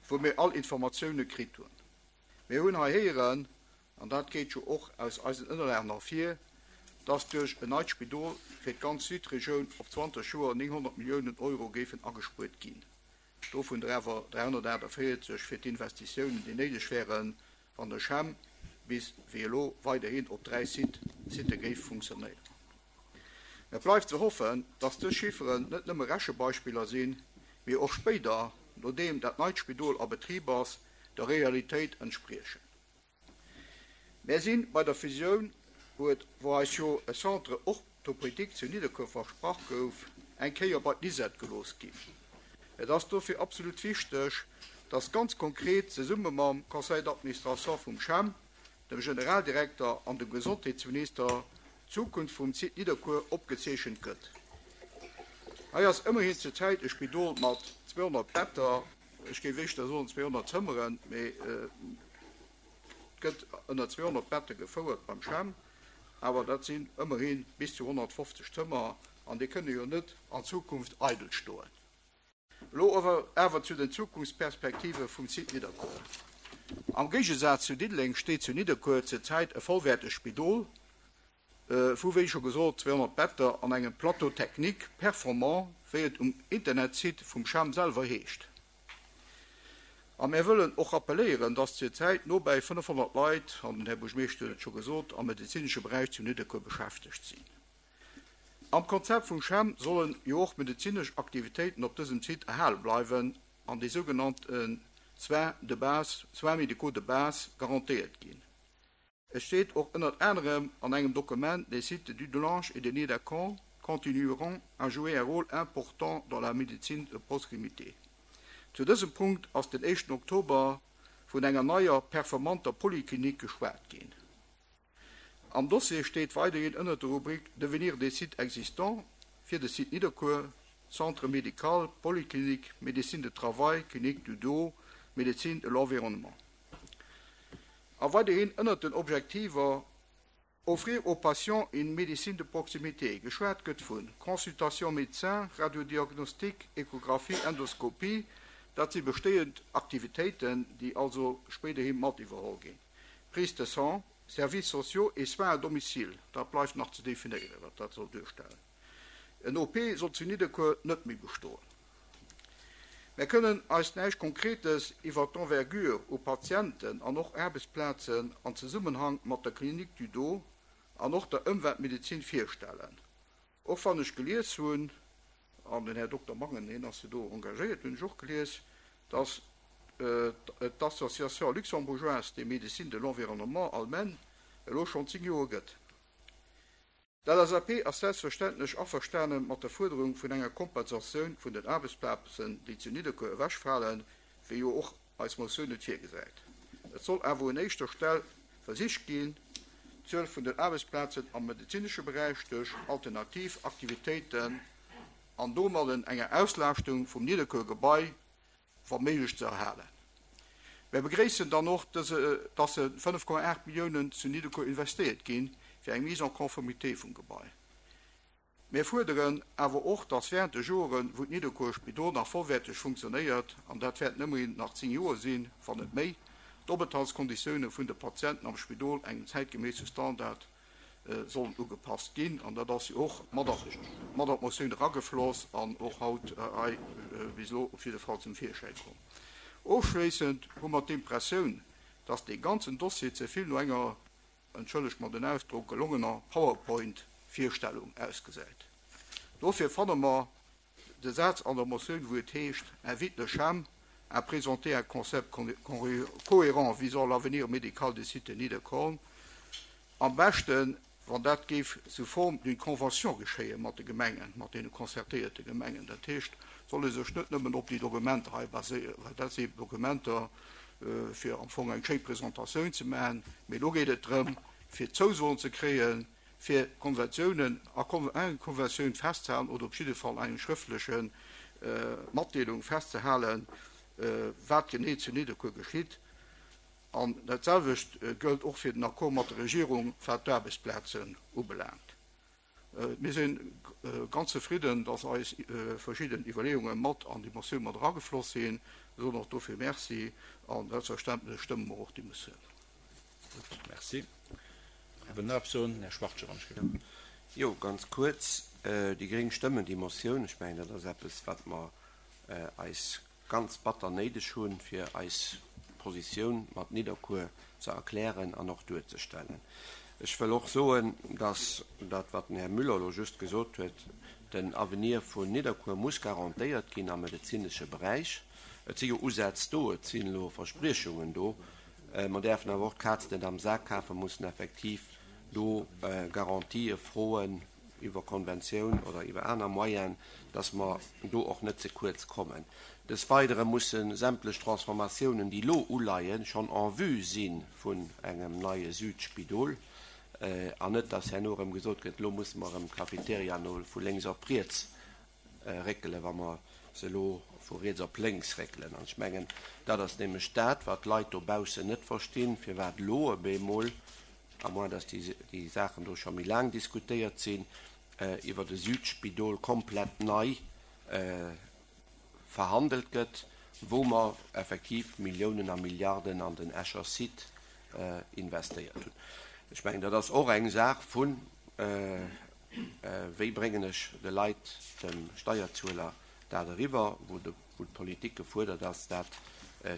wou mir all Informatioune kritt hunn. Mir hunn hei héieren, an dat geet jo och aus eisen Ënnerlagen ervir, dass duerch en neit Spidol fir d'ganz Südregioun op 20 Joer 900 Milliounen Euro géifen agespuert ginn, dovun der awer 348 fir d'Investitiounen, déi néideg wären, wann de CHEM bis wéi elo weiderhin op 3 Sitte géif funktionéieren. Et bleift ze hoffen, dass dës Chifferen net nëmme Rechebeispiller sinn, mee och spéider, nodeem dat neit Spidol a Betrib ass, der Realitéit entspriechen. Mär si bei der Fusioun, wou et wou eis jo e Centre orthopédique zu Nidderkuer versprach gouf, eng Kéier bei d'Lisette gelooss ginn. Et ass dofir absolut wichteg, dass ganz konkret zesumme mam Conseil d'administration vum CHEM, dem Generaldirekter an dem Gesondheetsminister d'Zukunft vum Site Nidderkuer opgezeechent gëtt. Hei ass ëmmerhin zur Zäit e Spidol mat 200 Better, ech géif éischter soen 200 Zëmmeren, mee et gëtt ënner 200 Bette gefouert beim CHEM, awer dat sinn ëmmerhi bis zu 150 Zëmmer an déi kënne jo net an Zukunft eidel stoen. Elo awer zu den Zukunftsperspektive vum Site Nidderkuer. Am Géigesaz zu Diddeleng steet zu Nidderkuer zur Zäit e vollwäertegt Spidol vu, wéi scho gesot, 200 Better an engem Plateau technique performant, wéi et um Internetsite vum CHEM selwer heescht. A mär wëllen och rappelléieren, dass zur Zäit nobäi 500 Leit, an den Här Buergermeeschter huet et scho gesot, am medezinesche Beräich zu Nidderkuer beschäftegt sinn. Am Konzept vum CHEM sollen jo och medezinesch Aktivitéiten op dësem Site erhale bleiwen an déi sougenannte Soins de base, soins médicaux de base garantéiert ginn. Et steet och ënnert anerem an engem Dokument, Les sites de Dudelange et de Niederkorn continueront à jouer un rôle important dans la médecine de proximité. Zu dësem Punkt ass den éischten Oktober vun enger neier performanter Poliklinik geschwat ginn. Am Dossier steet weiderhin ënnert der Rubrik Devenir des sites existants fir de Site Nidderkuer, Centre médical, Polyclinique, Médecine de travail, Clinique du dos, Médecine de l'environnement. A weiderhin ënnert den Objektiver Offrir aux patients une médecine de proximité. Geschwat gëtt vu Consultation médecin, Radiodiagnostic, Échographie, Endoscopie. Dat si bestéiend Aktivitéiten, déi also spéiderhi mat iwwerholl ginn. Prise de sang, Services sociaux et soins à domicile, dat bleift nach ze definéieren, wat dat soll duerstellen. En OP soll zu Nidderkuer net méi bestoen. Mär kënnen eis näischt Konkretes iwwer d'Envergure u Patienten an och Aarbechtsplazen an Zesummenhang mat der Clinique du Dos an och der Ëmweltmedezin virstellen. Och wann ech gelies hunn, an den Här Dokter Mangen, hien ass jo do engagéiert, hunn ech och gelies, dass et d'Association luxembourgeoise des médecines de l'environnement, ALMEN, elo schonn 10 Joer gëtt. D'LSAP ass selbstverständlech averstane mat der Fuerderung vun enger Kompensatioun vun den Aarbechtsplazen, déi zu Nidderkuer ewechfalen, wéi jo och eis Motioun et virgesäit. Et soll awer un éischter Stell versicht ginn, d'Zuel vun den Aarbechtsplazen am medezinesche Beräich duerch alternativ Aktivitéiten. an domadden enger Auslaaschtung vum Nidderkuer-Gebai wa méiglech ze erhalen. Mär begréissen dann och, dass 5,8 Milliounen zu Nidderkuer investéiert ginn, fir eng Mise en conformité vum Gebai. Mär fuerderen awer och, dass während de Joren, wou d'Nidderkuer Spidol nach vollwäerteg funktionéiert, an dat wäerten ëmmerhin nach 10 Joer sinn, wann net méi, d'Openthaltskonditioune vun de Patienten am Spidol engem zäitgeméisse Standard sollen ugepasst ginn. An dat ass jo och mat an d'Motioun eragefloss an och haut hei bis elo op jidde Fall zum Virschäi komm. Ofschléissend hu mer d'Impressioun, dass dee ganzen Dossier ze vill no enger, entschëllegt mer den Ausdrock, gelongener PowerPoint-Virstellung ausgesäit. Dofir fanne mer de Saz an der Motioun, wou et heescht, invite le CHEM à présenter un concept cohérent visant l'avenir médical des cités Nidderkorn, am beschten, wann dat géif sous forme d'une convention geschéie mat de Gemengen, mat deene concertéierte Gemengen. Dat heescht, et soll ee sech net nëmmen op déi Dokumenter hei baséieren, well dat si Dokumenter, fir am Fong eng schéi Presentatioun ze maachen, mee elo geet et drëm, fir Zousoen ze kréien, fir Konventiounen a eng Konventioun festzehalen oder op jidde Fall eng schrëftleche Matdeelung festzehalen, wat genee zu Nidderkuer geschitt. An dat selwecht gëllt och fir den Accord mat der Regierung, wat d'Aarbechtsplazen ubelaangt. Mir si ganz zefridden, dass eis verschidden Iwwerleeunge mat an déi Motioun mat eragefloss sinn. Mir soen och dofir Merci a selbstverständlech stëmme mer och déi Motioun. Gutt, merci. Här Benoy, Här Schwachtgen, wann ech gelift. Jo, ganz kuerz. Déi gréng stëmmen déi Motioun. Ech mengen, dat ass eppes, wat mer eis ganz batter néideg hunn, fir eis Positioun mat Nidderkuer ze erklären an och duerzestellen. Ech wëll och soen, dass dat, wat den Här Müller elo just gesot huet, den Avenir vun Nidderkuer muss garantéiert ginn am medezinesche Beräich. Et si jo Usätz do, et sinn elo Verspriechungen do. Mer däerfen awer och d'Kaz net am Sak kafen, mussen effektiv do Garantië froen iwwer Konventioun oder iwwer aner Moyenen, dass mer do och net ze kuerz kommen. Des Weidere musse sämtlech Transformatiounen, déi elo uleien, schonn en vue si vun engem neie Südspidol an net, dass herno erëm gesot gëtt, elo musse mer erëm d'Cafeteria no vu lénks op riets réckelen, wa mer se elo vu riets op lénks réckelen. An ech mengen, dat ass nämlech dat, wat d'Leit dobaussen net verstinn, firwat elo op eemol, à moins dass déi Saachen do scho méi laang diskutéiert sinn, iwwert e Südspidol komplett nei verhandelt gëtt, wou mer effektiv Milliounen a Milliarden an den Escher Site investéiert hunn. Ech mengen, dat ass och eng Saach vun Wéi bréngen ech de Leit, dem Steierzueler dat eriwwer, wou d'Politik gefuerdert ass, dat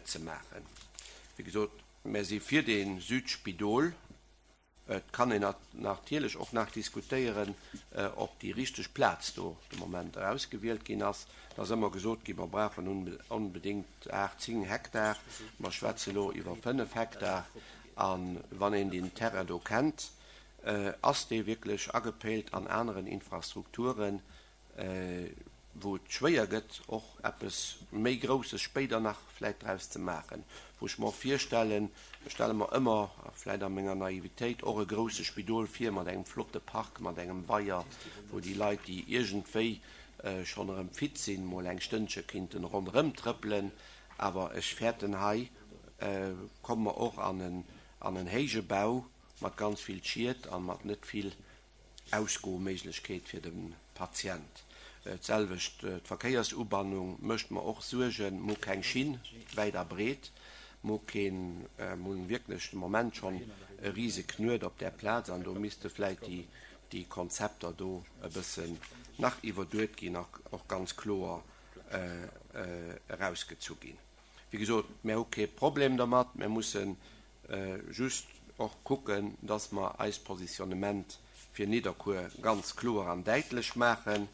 ze maachen? Wéi gesot, mär si fir dee Südspidol. Et kann een natierlech och nach diskutéieren, ob déi richteg Plaz do de Moment erausgewielt ginn ass. Et ass ëmmer gesot ginn, mer brauchen onbedéngt 8, 10 Hektar. Mer schwätze elo iwwer 5 Hektar. A wann een deen Terrain do kennt, Ass dee wierklech agepéilt an aneren Infrastrukturen, wou et schwéier gëtt, och eppes méi Grousses spéider nach vläit draus ze maachen? Wou ech mer och virstellen, ech stelle mer ëmmer, vläit a menger Naivitéit, och e grouse Spidol vir mat engem flotte Park, mat engem Weier, wou déi Leit, déi iergendwéi schonn erëm fit sinn, mol eng Stënnche kinnten ronderëm trëppelen. Awer ech fäerten, hei komme mer och an en héije Bau, mat ganz vill Schied an mat net vill Ausgoméiglechkeet fir de Patient. D'selwecht d'Verkéiersubannung mécht mer och Suergen. Mer hu keng Schinn wäit a breet, mer hu keen, mer hunn wierklech de Moment schonn e rise Knuet op där Plaz an do misste vläit déi Konzepter do e bëssen nach iwwerduet ginn a och ganz kloer erausgezu ginn. Wéi gesot, mär hu kee Problem dermat, mär mussen just och kucken, dass mer eist Positionnement fir Nidderkuer ganz kloer an däitlech maachen.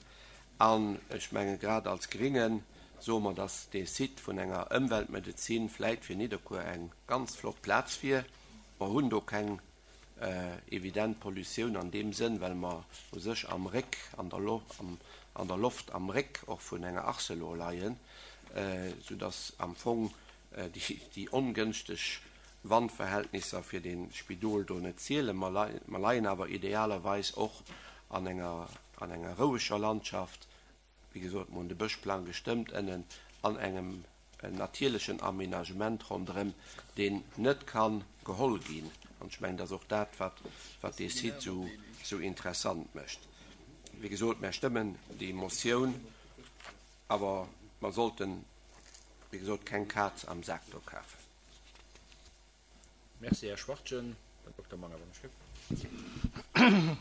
An ech mengen, grad als Gringe soe mer, dass dee Site vun enger Ëmweltmedezin vläit fir Nidderkuer eng ganz flott Plaz wier. Mer hunn do keng evident Pollutioun an deem Sënn, well mer u sech am Réck, an der Loft am Réck och vun enger Arcelor leien, soudass am Fong déi ongënschteg Wandverhältnisser fir de Spidol do net zielen. Mer leien awer idealerweis och an enger an enger roueger Landschaft. Wéi gesot, mer hunn de Bëschplang gestëmmt ënnen an engem natierlechen Aménagement ronderëm, deen net ka geholl ginn. An ech mengen, dat ass och dat, wat, wat dee Site esou, esou interessant mécht. Wéi gesot, mer stëmmen déi Motioun, awer mer sollten, wéi gesot, keng Kaz am Sak do kafen. Merci, Här Schwachtgen. Den Dokter Manger, wann ech gëtt.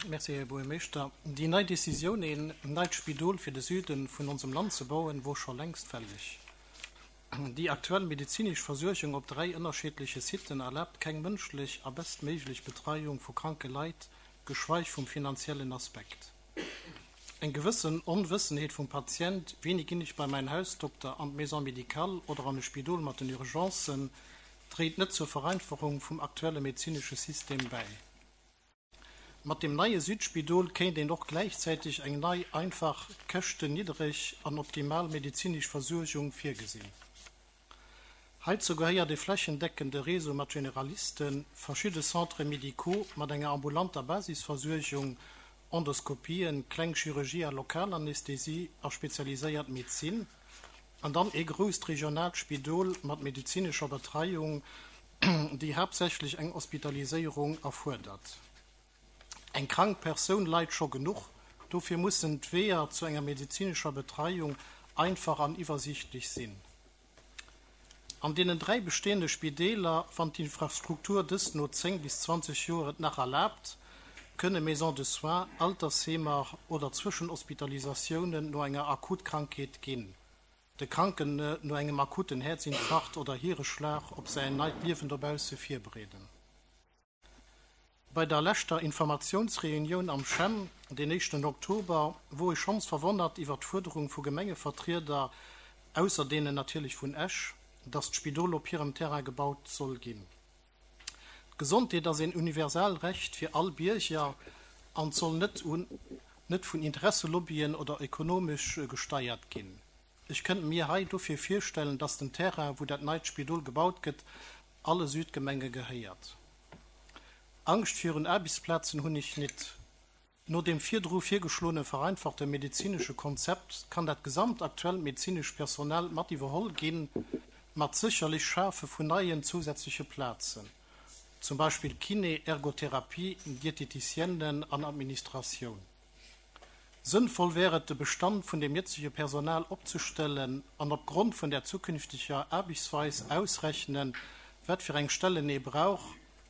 Merci, Här Buergermeeschter. Déi nei Decisioun, een neit Spidol fir de Süde vun onsem Land ze bauen, wor scho längst fälleg. Déi aktuell medezinesch Versuergung op 3 ënnerscheedleche Siten erlaabt keng mënschlech a bestméiglech Betreiung vu kranke Leit, geschweig vum finanziellen Aspekt. Eng gewëssen Onwëssenheet vum Patient, wéini ginn ech bei mäin Hausdokter, an d'Maison médicale oder an e Spidol mat den Urgencen, dréit net zur Vereinfachung vum aktuelle medezinesche System bäi. Mat dem neie Südspidol kéint een och gläichzäiteg eng nei, einfach, käschtenniddereg an optimal medezinesch Versuergung virgesinn. Heizou gehéiert e flächendeckende Réseau mat Generalisten, verschidde Centres médicaux mat enger ambulanter Basisversuergung, Endoskopien, kleng Chirurgie a Lokalanästhesie a spezialiséiert Medezin, an dann ee grousst regionaalt Spidol mat medezinescher Betreiung, déi haaptsächlech eng Hospitaliséierung erfuerdert. Eng krank Persoun leit scho genuch, dofir mussen d'Weeër zu enger medezinescher Betreiung einfach an iwwersiichtlech sinn. An deenen 3 bestehende Spideeler, wann d'Infrastruktur dëst no 10 bis 20 Joer et nach erlaabt, kënne Maisons de soins, Altersheemer oder Zwëschenhospitalisatiounen no enger Akutkrankheet ginn, de Kranken no engem akuten Häerzinfarkt oder Hiereschlag op säin neit Liewen dobausse virbereeden. Bei der leschter Informatiounsreunioun am CHEM, den éischten Oktober, wor ech schonns verwonnert iwwer d'Fuerderung vu Gemengevertrieder, ausser deenen natierlech vun Esch, datt d'Spidol op hirem Terrain gebaut soll ginn. D'Gesondheet ass een universal Recht fir all Bierger an soll net un net vun Interesselobbyen oder ökonomesch gesteiert ginn. Ech kënnt mir hei dofir virstellen, datt den Terrain, wou dat neit Spidol gebaut gëtt, alle Südgemenge gehéiert. Angscht virun Aarbechtsplazen hunn ech nit. No dem virdru virgeschloene vereinfachte medezinesche Konzept kann dat gesamt aktuellt medezinescht Personal mat iwwerholl ginn, mat sécherlech Schafe vun neien zousätzleche Plazen, zum Beispill Kiné, Ergotherapie, Dieteticienen an Administratioun. Sënnvoll wär et, de Bestand vun dem jëtzege Personal opzestellen an op Grond vun der zukünfteger Aarbechtsweis ausrechnen, wat fir eng Stellen ee brauch,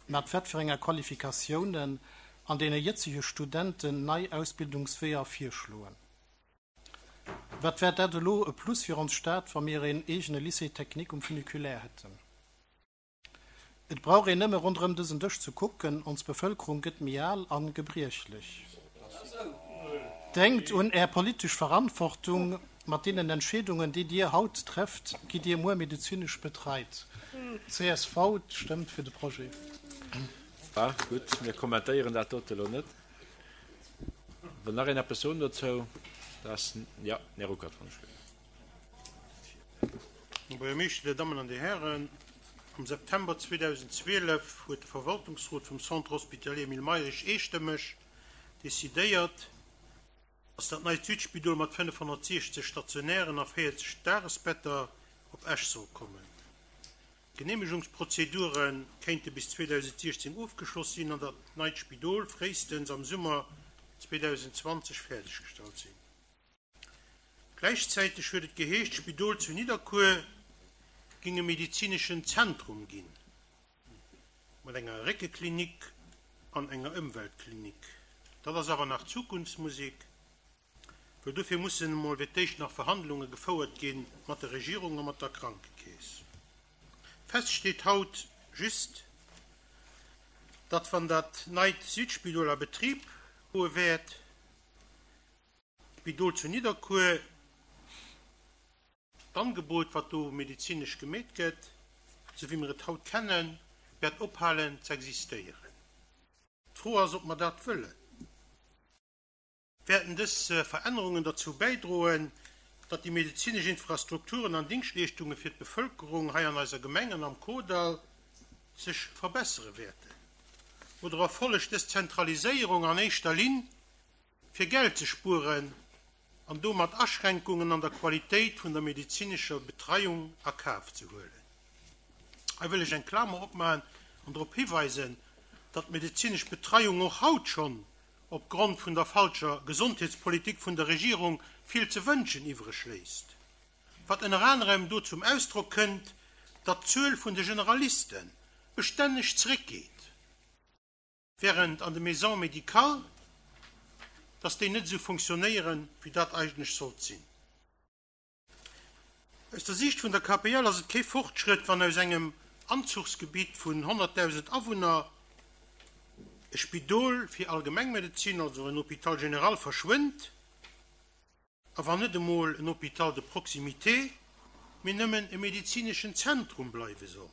mat wat fir enger Qualifikatiounen, an deene jëtzege Studenten nei Ausbildungsweeër virschloen. Wat wär dat elo e Plus fir ons Stad, wa mir een eegene Lycée technique um Funiculaire hätten? Et brauch een nëmme ronderëm dësen Dësch ze kucken, ons Bevëlkerung gëtt méi al an gebriechlech. Denkt un Är politesch Verantwortung, mat deenen Entscheedungen, déi Dir haut trefft, gitt Dir muer medezinesch betreit. Csv stëmmt fir de Projet. Ah, gutt, mir kommentéieren dat dote elo net. Wëll nach een eppes soen dozou? Dat ass, jo, den Här Ruckert, wann ech. Här Buergermeeschter, Dir Dammen an Dir Hären, am September 2012 huet de Verwaltungsrot vum Centre hospitalier Emile Mayrisch eestëmmeg decidéiert, dass dat neit Südspidol mat 560 stationären a 40 Dagesbetter op Esch soll kommen. D'Geneemegungsprozedure kéinte bis 2016 ofgeschloss sinn an dat neit Spidol fréistens am Summer 2020 fäerdeggestallt sinn. Gläichzäiteg huet et geheescht, d'Spidol zu Nidderkuer géing e medezineschen Zentrum ginn, mat enger Réckeklinik an enger Ëmweltklinik. Dat ass awer nach Zukunftsmusek, well dofir mussen emol fir d'éischt nach Verhandlunge gefouert gi mat der Regierung a mat der Krankekeess. Fest steet haut just, datt wann dat neit Südspidol a Betrib goe wäert, D'Spidol zu Nidderkuer, d'Angebot, wat do medezinesch gemeet gëtt, esou wéi mir et haut kennen, wäert ophalen z'existéieren. D'Fro ass, ob mer dat wëllen. Wäerten dës Verännerungen derzou bäidroen, datt déi medezinesch Infrastrukturen an Dingschtleeschtunge fir d'Bevëlkerung hei an eiser Gemeng an am Kordall sech verbessere wäerten? Oder erfollegt dës Zentraliséierung an éischter Linn fir Geld ze spueren. an domat Aschränkungen an der Qualitéit vun der medezinescher Betreiung a Kaf ze huelen. Hei wëll ech eng Klamer opmachen an drop hiweisen, datt d'medezinesch Betreiung och haut schonn opgrond vun der falscher Gesondheetspolitik vun der Regierung vill ze wënschen iwwreg léisst, wat ënner anerem do zum Ausdrock kënnt, datt d'Zuel vun de Generaliste bestänneg zeréckgeet. Während an de Maisons médicales, dass déi net esou funktionéieren, wéi dat eigentlech sollt sinn. Aus der Siicht vun der KPL ass et kee Fortschrëtt, wann aus engem Anzuchsgebitt vun 100.000 Awunner e Spidol fir Allgemengmedezin, also en Hôpital général, verschwënnt. A wann net emol en Hôpital de proximité, mee nëmmen e medezineschen Zentrum bleiwe soll.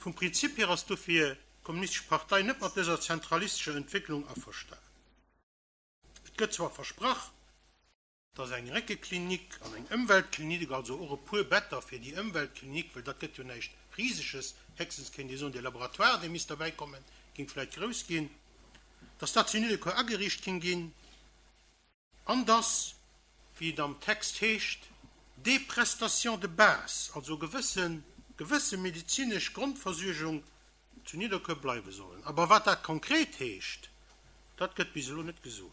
Vum Prinzip hier ass dofir d'Kommunistesch Partei net mat dëser zentralistescher Entwécklung averstan. Et gëtt zwar versprach, dass eng Réckeklinik an eng Ëmweltklinik, also och e puer Better fir déi Ëmweltklinik, well dat gëtt jo näischt Riseges, héchstens kéint ee soen, dee Laboratoire, dee misst derbäi kommen, géing vläicht grouss ginn, dass dat zu Nidderkuer ageriicht king ginn an dass, wéi et am Text heescht, des prestations de base, also gewësse gewësse medezinesch Grondversuergung zu Nidderkuer bleiwe sollen. Aber wat dat konkret heescht, dat gëtt bis elo net gesot.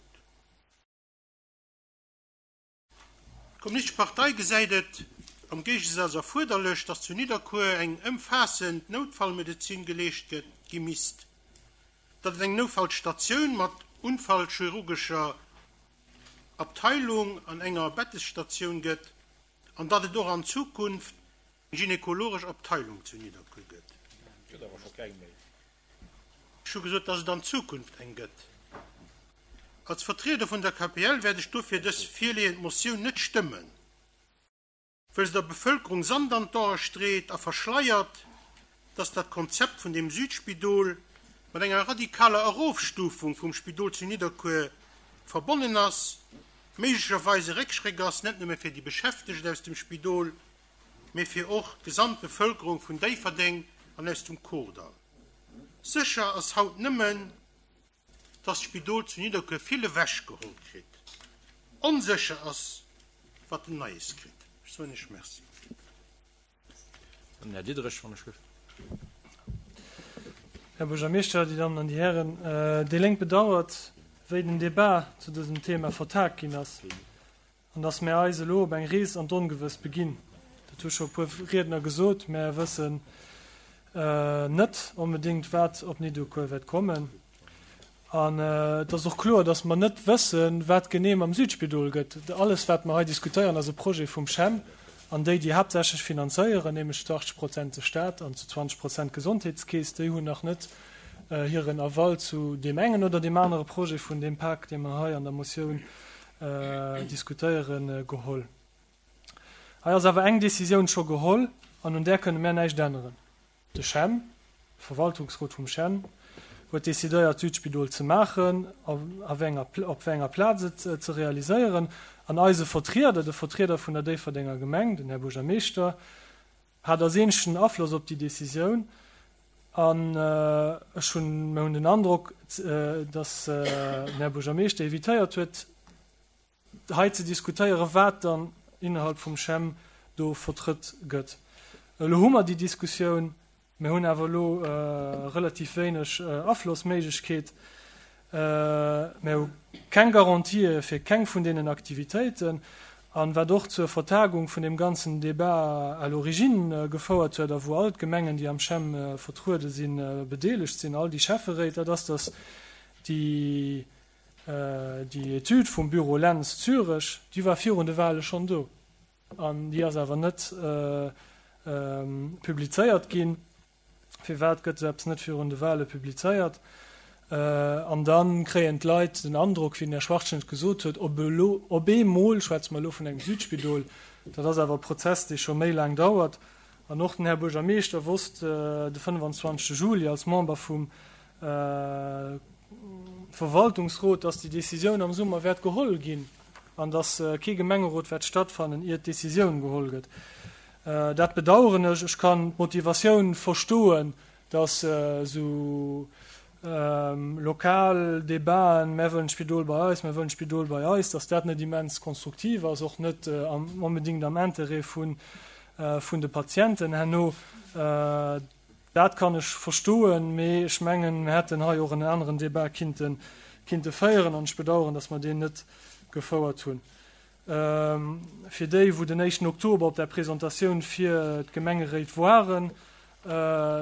D'Kommunistesch Partei gesäit et am Géigesaz erfuerderlech, datt zu Nidderkuer eng ëmfaassend Noutfallmedezin geleescht gëtt, gi misst, datt et eng Noutfallstatioun mat unfallchirurgescher Abteilung an enger Bettestatioun gëtt an datt et och an Zukunft eng gynekologesch Abteilung zu Nidderkuer gëtt. Gëtt awer scho keng méi. Ech hu gesot, dass et an Zukunft eng gëtt. Als Vertrieder vun der KPL wäert ech dofir dës virleeënd Motioun net stëmmen, wëll se der Bevëlkerung Sand an d'Ae street a verschleiert, dass dat Konzept vun dem Südspidol mat enger radikaler Erofstufung vum Spidol zu Nidderkuer verbonnen ass, méiglecherweis e Réckschréck ass, net nëmme fir déi Beschäftegt aus dem Spidol, mee fir och d'gesamt Bevëlkerung vun Déifferdeng an aus dem Kordall. Sécher ass haut nëmmen, dass d'Spidol zu Nidderkuer vill ewech geholl kritt. Onsécher ass, wat en Neies kritt. Ech soen Iech Merci. Den Här Diderich, wann ech gëff. Här Buergermeeschter, Dir Dammen an Dir Hären, déi Lénk bedauert, wéi den Debat zu dësem Thema vertagt ginn ass. An dass mär eis elo op eng Rees an d'Ongewësst beginn. Dat hu scho e puer Riedner gesot. Mär wëssen net onbedéngt, wat op Nidderkuer wäert kommen. An et ass och kloer, dass mer net wëssen, wat genee mam Südspidol gëtt. Alles, wat mer hei diskutéieren, ass e Projet vum CHEM an déi, déi haaptsächlech finanzéieren, nämlech zu 80 Prozent de Stat an zu 20 Prozent d'Gesondheetskeess, déi hunn nach net hiren Aval zu deem engen oder deem anere Projet vun deem Pak, dee mer hei an der Motioun diskutéieren, geholl. Hei ass awer eng Décisioun scho geholl an un där kënne mär näischt änneren. De CHEM, de Verwaltungsrot vum CHEM, huet décidéiert d'Südspidol ze maachen a wéi enger, op wéi enger Plaz et ze realiséieren. An eise Vertrieder, de Vertrieder vun der Déifferdenger Gemeng, den Här Buergermeeschter, hat als eenzegen Afloss op déi Décisioun. An ech hunn, mir hunn den Androck, datt den Här Buergermeeschter evitéiert huet, hei ze diskutéieren, wat dann innerhalb vum CHEM do vertrëtt gëtt. Elo hu mer déi Diskussioun. Mir hunn awer elo relativ wéineg Aflossméiglechkeet. Mir hu keng Garantië fir keng vun deenen Aktivitéiten. An wat och zur Vertagung vun deem ganzen Débat à l'origine gefouert huet a wou all d'Gemengen, déi am CHEM vertruede sinn, bedeelegt sinn, all déi Schäfferéit, dat ass, dass déi déi Etüd vum Büro Lentz Zürech, déi war virun de Wahle schonn do an déi ass awer net publizéiert ginn. Firwat gëtt esou eppes net virun de Wahle publizéiert? An da kréien d'Leit den Androck, wéi den Här Schwachtgen et gesot huet, op elo, op eemol schwätze mer elo vun engem Südspidol. Dat ass awer e Prozess, dee scho méi laang dauert. An och den Här Buergermeeschter wosst de 25 Juli als Member vum Verwaltungsrot, dass déi Décisioun am Summer wäert geholl ginn an dass kee Gemengerot wäert stattfannen, ier d'Décisioun geholl gëtt. Dat bedauern ech. Ech kann d'Motivatioun verstoen, dass esou. Lokal Debaten, mär wëllen d'Spidol bei eis, mär wëllen d'Spidol bei eis, dass dat net immens konstruktiv ass, och net onbedéngt am Interêt vun de Patienten herno. Dat kann ech verstoen, mee ech mengen, mir hätten hei och en aneren Debat kinnte kinnte féieren an ech bedauern, dass mer deen net gefouert hunn. Fir déi, wou den éischten Oktober op der Presentatioun fir d'Gemengeréit waren,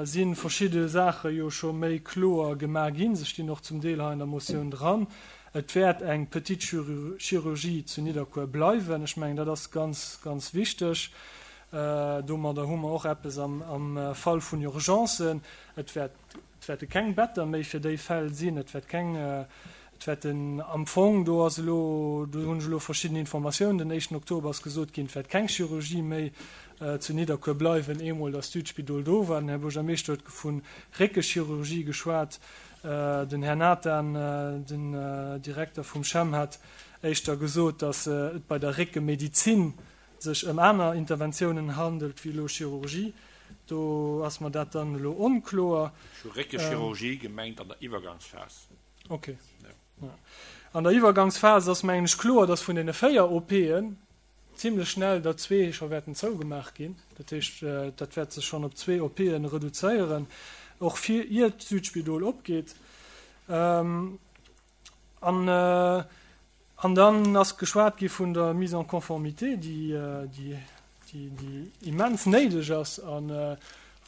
si verschidde Saache jo scho méi kloer gemaach ginn. Se stinn och zum Deel hei an der Motioun dran. Et wäert eng Petite Chirurgie zu Nidderkuer bleiwen. Ech mengen, dat ass ganz, ganz wichteg. Domadder hu mer och eppes am Fall vun Urgencen. Et wäert, et wäerte keng Better méi fir déi Fäll sinn. Et wäert keng, et wäerten am Fong, do ass elo, do hunn ech elo verschidden Informatiounen, den éischten Oktober ass gesot ginn, et wäert keng Chirurgie méi zu Nidderkuer bleiwen, eemol datt d'Südspidol do war. Den Här Buergermeeschter huet vu Réckechirurgie geschwat. Den Här Nathan, den Direkter vum CHEM, hat éischter gesot, datt et bei der Réckemedizin sech ëm aner Interventiounen handelt wéi elo Chirurgie. Do ass mer dat dann elo onkloer. Ech hu Réckechirurgie gemengt an der Iwwergangsphas. Okay. An der Iwwergangsphas ass, mengen ech, kloer, dass vun deene 4 OPen zimlech schnell der zwee scho wäerten zougemaach ginn. Dat heescht, dat wäert sech schonn op zwee OPe reduzéieren, och fir ier d'Südspidol opgeet. An, an dann ass geschwat gi vun der Mise en conformité, déi, déi, déi, déi immens néideg ass a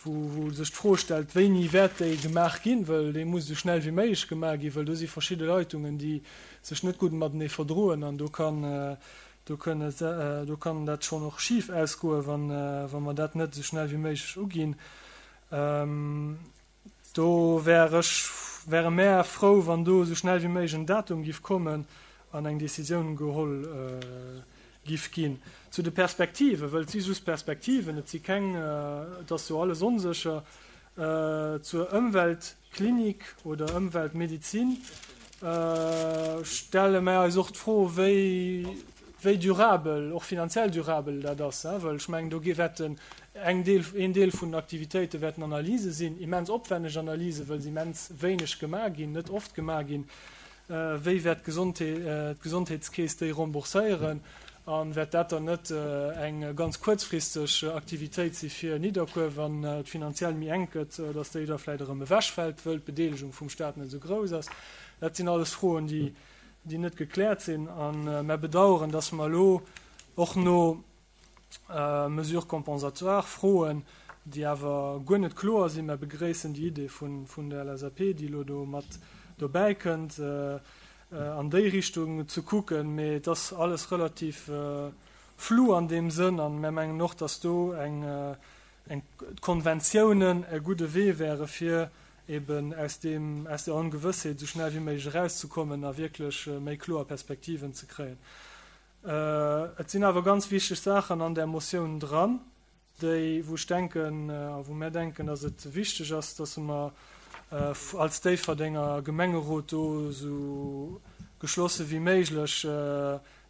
wou, wou sech d'Fro stellt, wéini wäert déi gemaach ginn, wëll déi muss esou schnell wéi méiglech gemaach ginn, wëll do si verschidde Leitungen, déi sech net gutt matenee verdroen an do kann, do kënne, do kann dat schonn och schif ausgoen, wann, wa mer dat net esou schnell wéi méiglech uginn. Do wär ech, wäre mär frou, wann do esou schnell wéi méiglech en Datum giff kommen an eng Décisioun geholl giff ginn. Zu de Perspektiven, wëll et si just Perspektiven, et si keng, et ass jo alles onsécher, zur Ëmweltklinik oder Ëmweltmedizin stelle mär eis och d'Fro, wéi, wéi durabel, och finanziell durabel dat ass, wëll ech mengen, do wäerten eng Deel, een Deel vun den Aktivitéite wäerten Analyse sinn, immens opwenneg Analysen, wëll se immens wéineg gemaach ginn, net oft gemaach ginn. Wéi wäert d'Gesondheetskeess déi rembourséieren a wäert dat dann net eng ganz kuerzfristeg Aktivitéit si fir Nidderkuer, wann et finanziell méi enk gëtt, datt déi da vläicht erëm ewechfält, wëll d'Bedeelegung vum Staat net esou grouss ass? Dat sinn alles Froen, déi déi net gekläert sinn. A mer bedauern, dass mer elo och no Mesures compensatoires froen, déi awer guer net kloer sinn. Mer begréissen déi Idee vun der LSAP, déi elo do mat dobäi kënnt, an déi Richtung ze kucken. Mee et ass alles relativ flou an deem Sënn. A mer mengen och, dass do eng d'Konventiounen e gudde Wee wäre fir eben aus deem, aus der Ongewëssheet esou schnell wéi méiglech erauszekommen a wierklech méi kloer Perspektiven ze kréien. Et sinn awer ganz wichteg Saachen an där Motioun dran, déi, wou ech denken a wou mär denken, dass et wichteg ass, dass mer als Déifferdenger Gemengerot do esou geschlosse wéi méiglech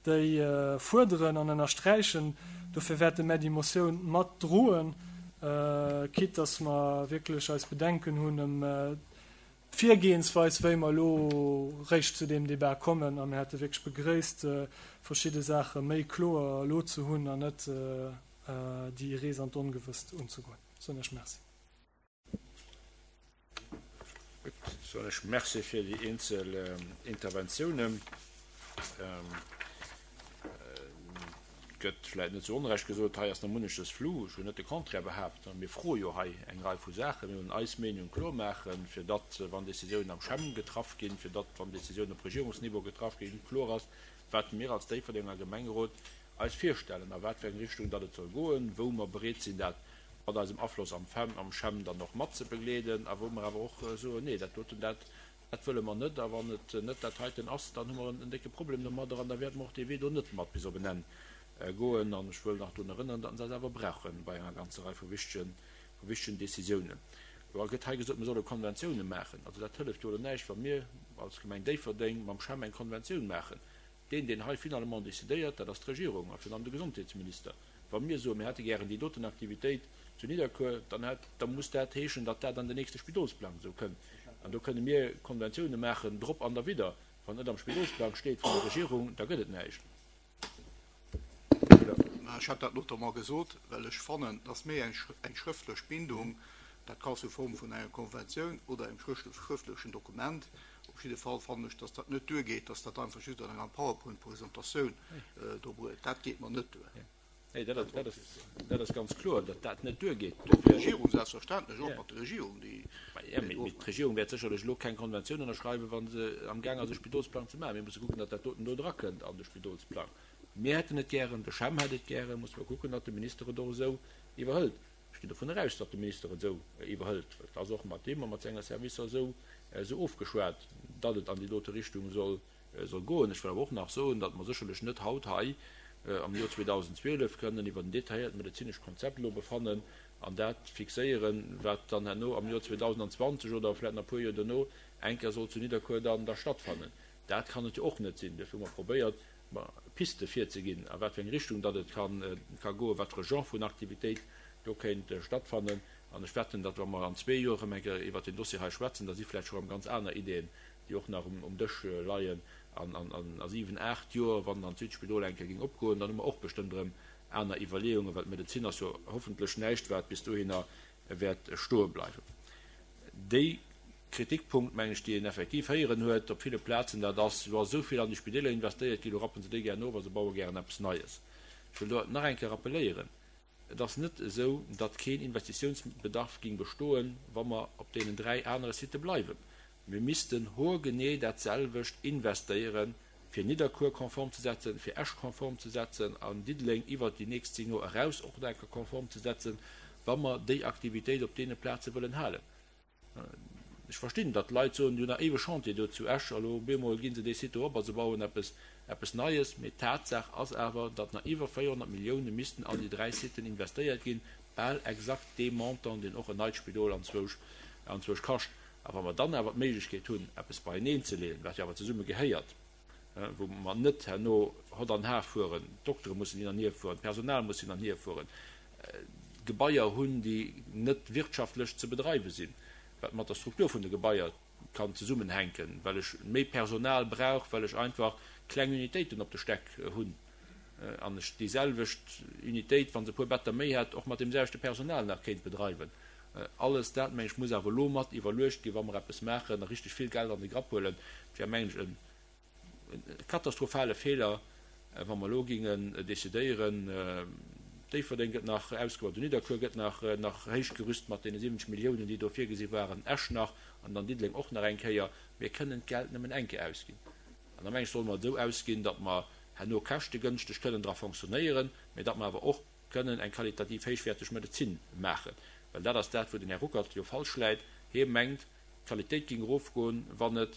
déi fuerderen an ënnersträichen. Dofir wäerte mär déi Motioun mat droen, quitte dass mer wierklech eis Bedenken hunn ëm d'Virgehensweis, wéi mer elo réischt zu deem Débat kommen. A mir hätte wierklech begréisst, verschidde Saache méi kloer elo ze hunn an net déi Rees an d'Ongewësst unzegoen. Soen ech Merci. Gutt, soen ech Merci fir déi eenzel Interventiounen. Et gëtt vläicht net zu Onrecht gesot, hei ass nach munneches flou. Ech hunn net de Contraire behaapt. Mir froe jo hei eng Rei vu Saachen. Mir wëllen eis Meenung kloer maachen, fir datt, wann Décisiounen am CHEM getraff ginn, fir datt, wann Décisiounen op Regierungsniveau getraff ginn, kloer ass, wat mir als Déifferdenger Gemengerot eis virstellen, a wat fir eng Richtung datt et soll goen, wou mer bereet sinn, dat mat eisem Afloss am FEM, am CHEM dann och mat ze begleeden a wou mer awer och soen, nee, dat doten, dat, dat wëlle mer net a wann et net dat heiten ass, dann hu mer en décke Problem domadder an da wäerte mer och dee Wee do net mat bis op en Enn goen. An ech wëll nach drun erënneren, datt se eis awer brauche bei enger ganzer Rei vu wichtegen, vu wichtegen Décisiounen. Elo gëtt hei gesot, mir solle Konventiounen maachen. Also dat hëlleft jo elo näischt, wa mir als Gemeng Déifferdeng mam CHEM eng Konventioun maachen. Deen, deen hei finalement décidéiert, dat ass d'Regierung a virun allem de Gesondheetsminister. Wa mir soen, mir hätte gären déi doten Aktivitéit zu Nidderkuer, dann hätt, da muss dat heeschen, datt dat an den nächste Spidolsplang esou kënnt. An do kënne mir Konventioune maachen, drop an derwidder. Wann et net am Spidolsplang steet vun der Regierung, da gëtt et näischt. Mä ech hat dat notamment gesot, well ech fannen, dass méi eng schrëftlech Bindung, dat ka sous forme vun enger Konventioun oder engem schrëftlechen Dokument, op jidde Fall fannen ech, dass dat net duergeet, dass dat einfach just an enger PowerPoint-Presentatioun do bruet. Dat geet mer net duer. Nee, dat ass, dat ass ganz kloer, datt dat net duergeet. D'Regierung selbstverständlech, och mat der Regierung, déi. Jo, mee d'Regierung wäert sécherlech elo keng Konventioun ënnerschreiwen, wa se amgaang ass, e Spidolsplang ze maachen. Mir musse kucken, datt dat doten do drakënnt an de Spidolsplang. Mir hätten et gären, de CHEM hätt et gären, musse mer kucken, datt de Minister et och esou iwwerhëlt. Ech ginn dovun eraus, datt de Minister et esou iwwerhëlt, well et ass och mat deem a mat senger Servicer esou ofgeschwat, datt et an déi dote Richtung soll soll goen. Ech wëll awer och nach soen, datt mer sécherlech net haut hei am Joer 2012 kënnen iwwer en detailléiert medezinescht Konzept elo befannen an dat fixéieren, wat dann herno am Joer 2020 oder vläicht nach e puer Joer duerno eng Kéier soll zu Nidderkuer dann da stattfannen. Dat kann et jo och net sinn. Duerfir hu mer probéiert, Piste virzeginn, a wat fir eng Richtung datt et ka goen, wat fir e Genre vun Aktivitéit do kéint stattfannen. An ech wetten, datt wa mer an zwee Joer erëm eng Kéier iwwert deen Dossier hei schwätzen, da si vläicht scho erëm ganz aner Ideeën déi och nach um Dësch leien, an a siwen, aacht Joer, wann dann d'Südspidol eng Kéier géing opgoen, dann hu mer och bestëmmt erëm aner Iwwerleeungen, well d'Medezin ass jo hoffentlech näischt, wat bis dohinner wäert stoe bleiwen. Déi Kritikpunkt, meng ech, déi een effektiv héieren huet op ville Plazen, dat ass, Jo ass esou vill an déi Spideeler investéiert ginn, elo rappen se déi gären of a se baue gären eppes Neies. Ech wëll do nach eng Kéier rappelléieren, Et ass net esou, datt keen Investitiounsbedarf ging bestoen, wa mer op deenen 3 anere Sitë bleiwen. Mir missten hoergenee dat selwecht investéieren, fir Nidderkuer konform ze setzen, fir Esch konform ze setzen an Diddeleng iwwert déi nächst 10 Joer eraus och nach eng Kéier konform ze setzen, wa mer déi Aktivitéit op deene Plaze wëllen halen. Ech verstinn, datt d'Leit soen, déi hunn nach éiweg Chantier do zu Esch, a lo op eemol gi se dee Site do op a se bauen eppes, eppes Neies. Mee Tatsaach ass awer, datt nach iwwer 400 Millioune missten an déi 3 Siten investéiert ginn, bal exakt dee Montant, deen och en neit Spidol anzwousch, anzwousch kascht. A wa mer dann awer d'Méiglechkeet hunn, eppes beieneen ze leeën, wat jo awer zesumme gehéiert, wou mer net herno hott an har fueren, d'Doktere mussen hin an hier fueren, d'Personal muss hin an hier fueren, Gebaier hunn, déi net wirtschaftlech ze bedreiwe sinn, wat mat der Struktur vun de Gebaier kann zesummenhänken, well ech méi Personal brauch, well ech einfach kleng Unitéiten op de Stäck hunn an ech déi selwecht Unitéit, wa se e puer Better méi hätt, och mat deem selwechte Personal nach kéint bedreiwen. Alles dat, meng ech, muss awer elo mat iwwerluecht ginn, wa mer eppes maachen a richteg vill Geld an de Grapp huelen. Et wär, mengen ech, e katastrophale Feeler, wa mer elo gingen decidéieren, Déifferdeng gëtt nach ausgebaut, den Nidderkuer gëtt nach nach héich gerüst mat deene 70 Milliounen, déi do virgesi waren, Esch nach an dann Diddeleng och nach eng Kéier. Mir kënnen d'Geld nëmmen eng Kéier ausginn. An da meng ech, solle mer et esou ausginn, datt mer herno käschtegënschteg kënnen dra fonctionnéieren, mä datt mer awer och kënnen eng qualitativ héichwäerteg Medezin maachen. Well dat ass dat, wou den Här Ruckert jo falsch läit. Hie mengt, d'Qualitéit géing erofgoen, wann et,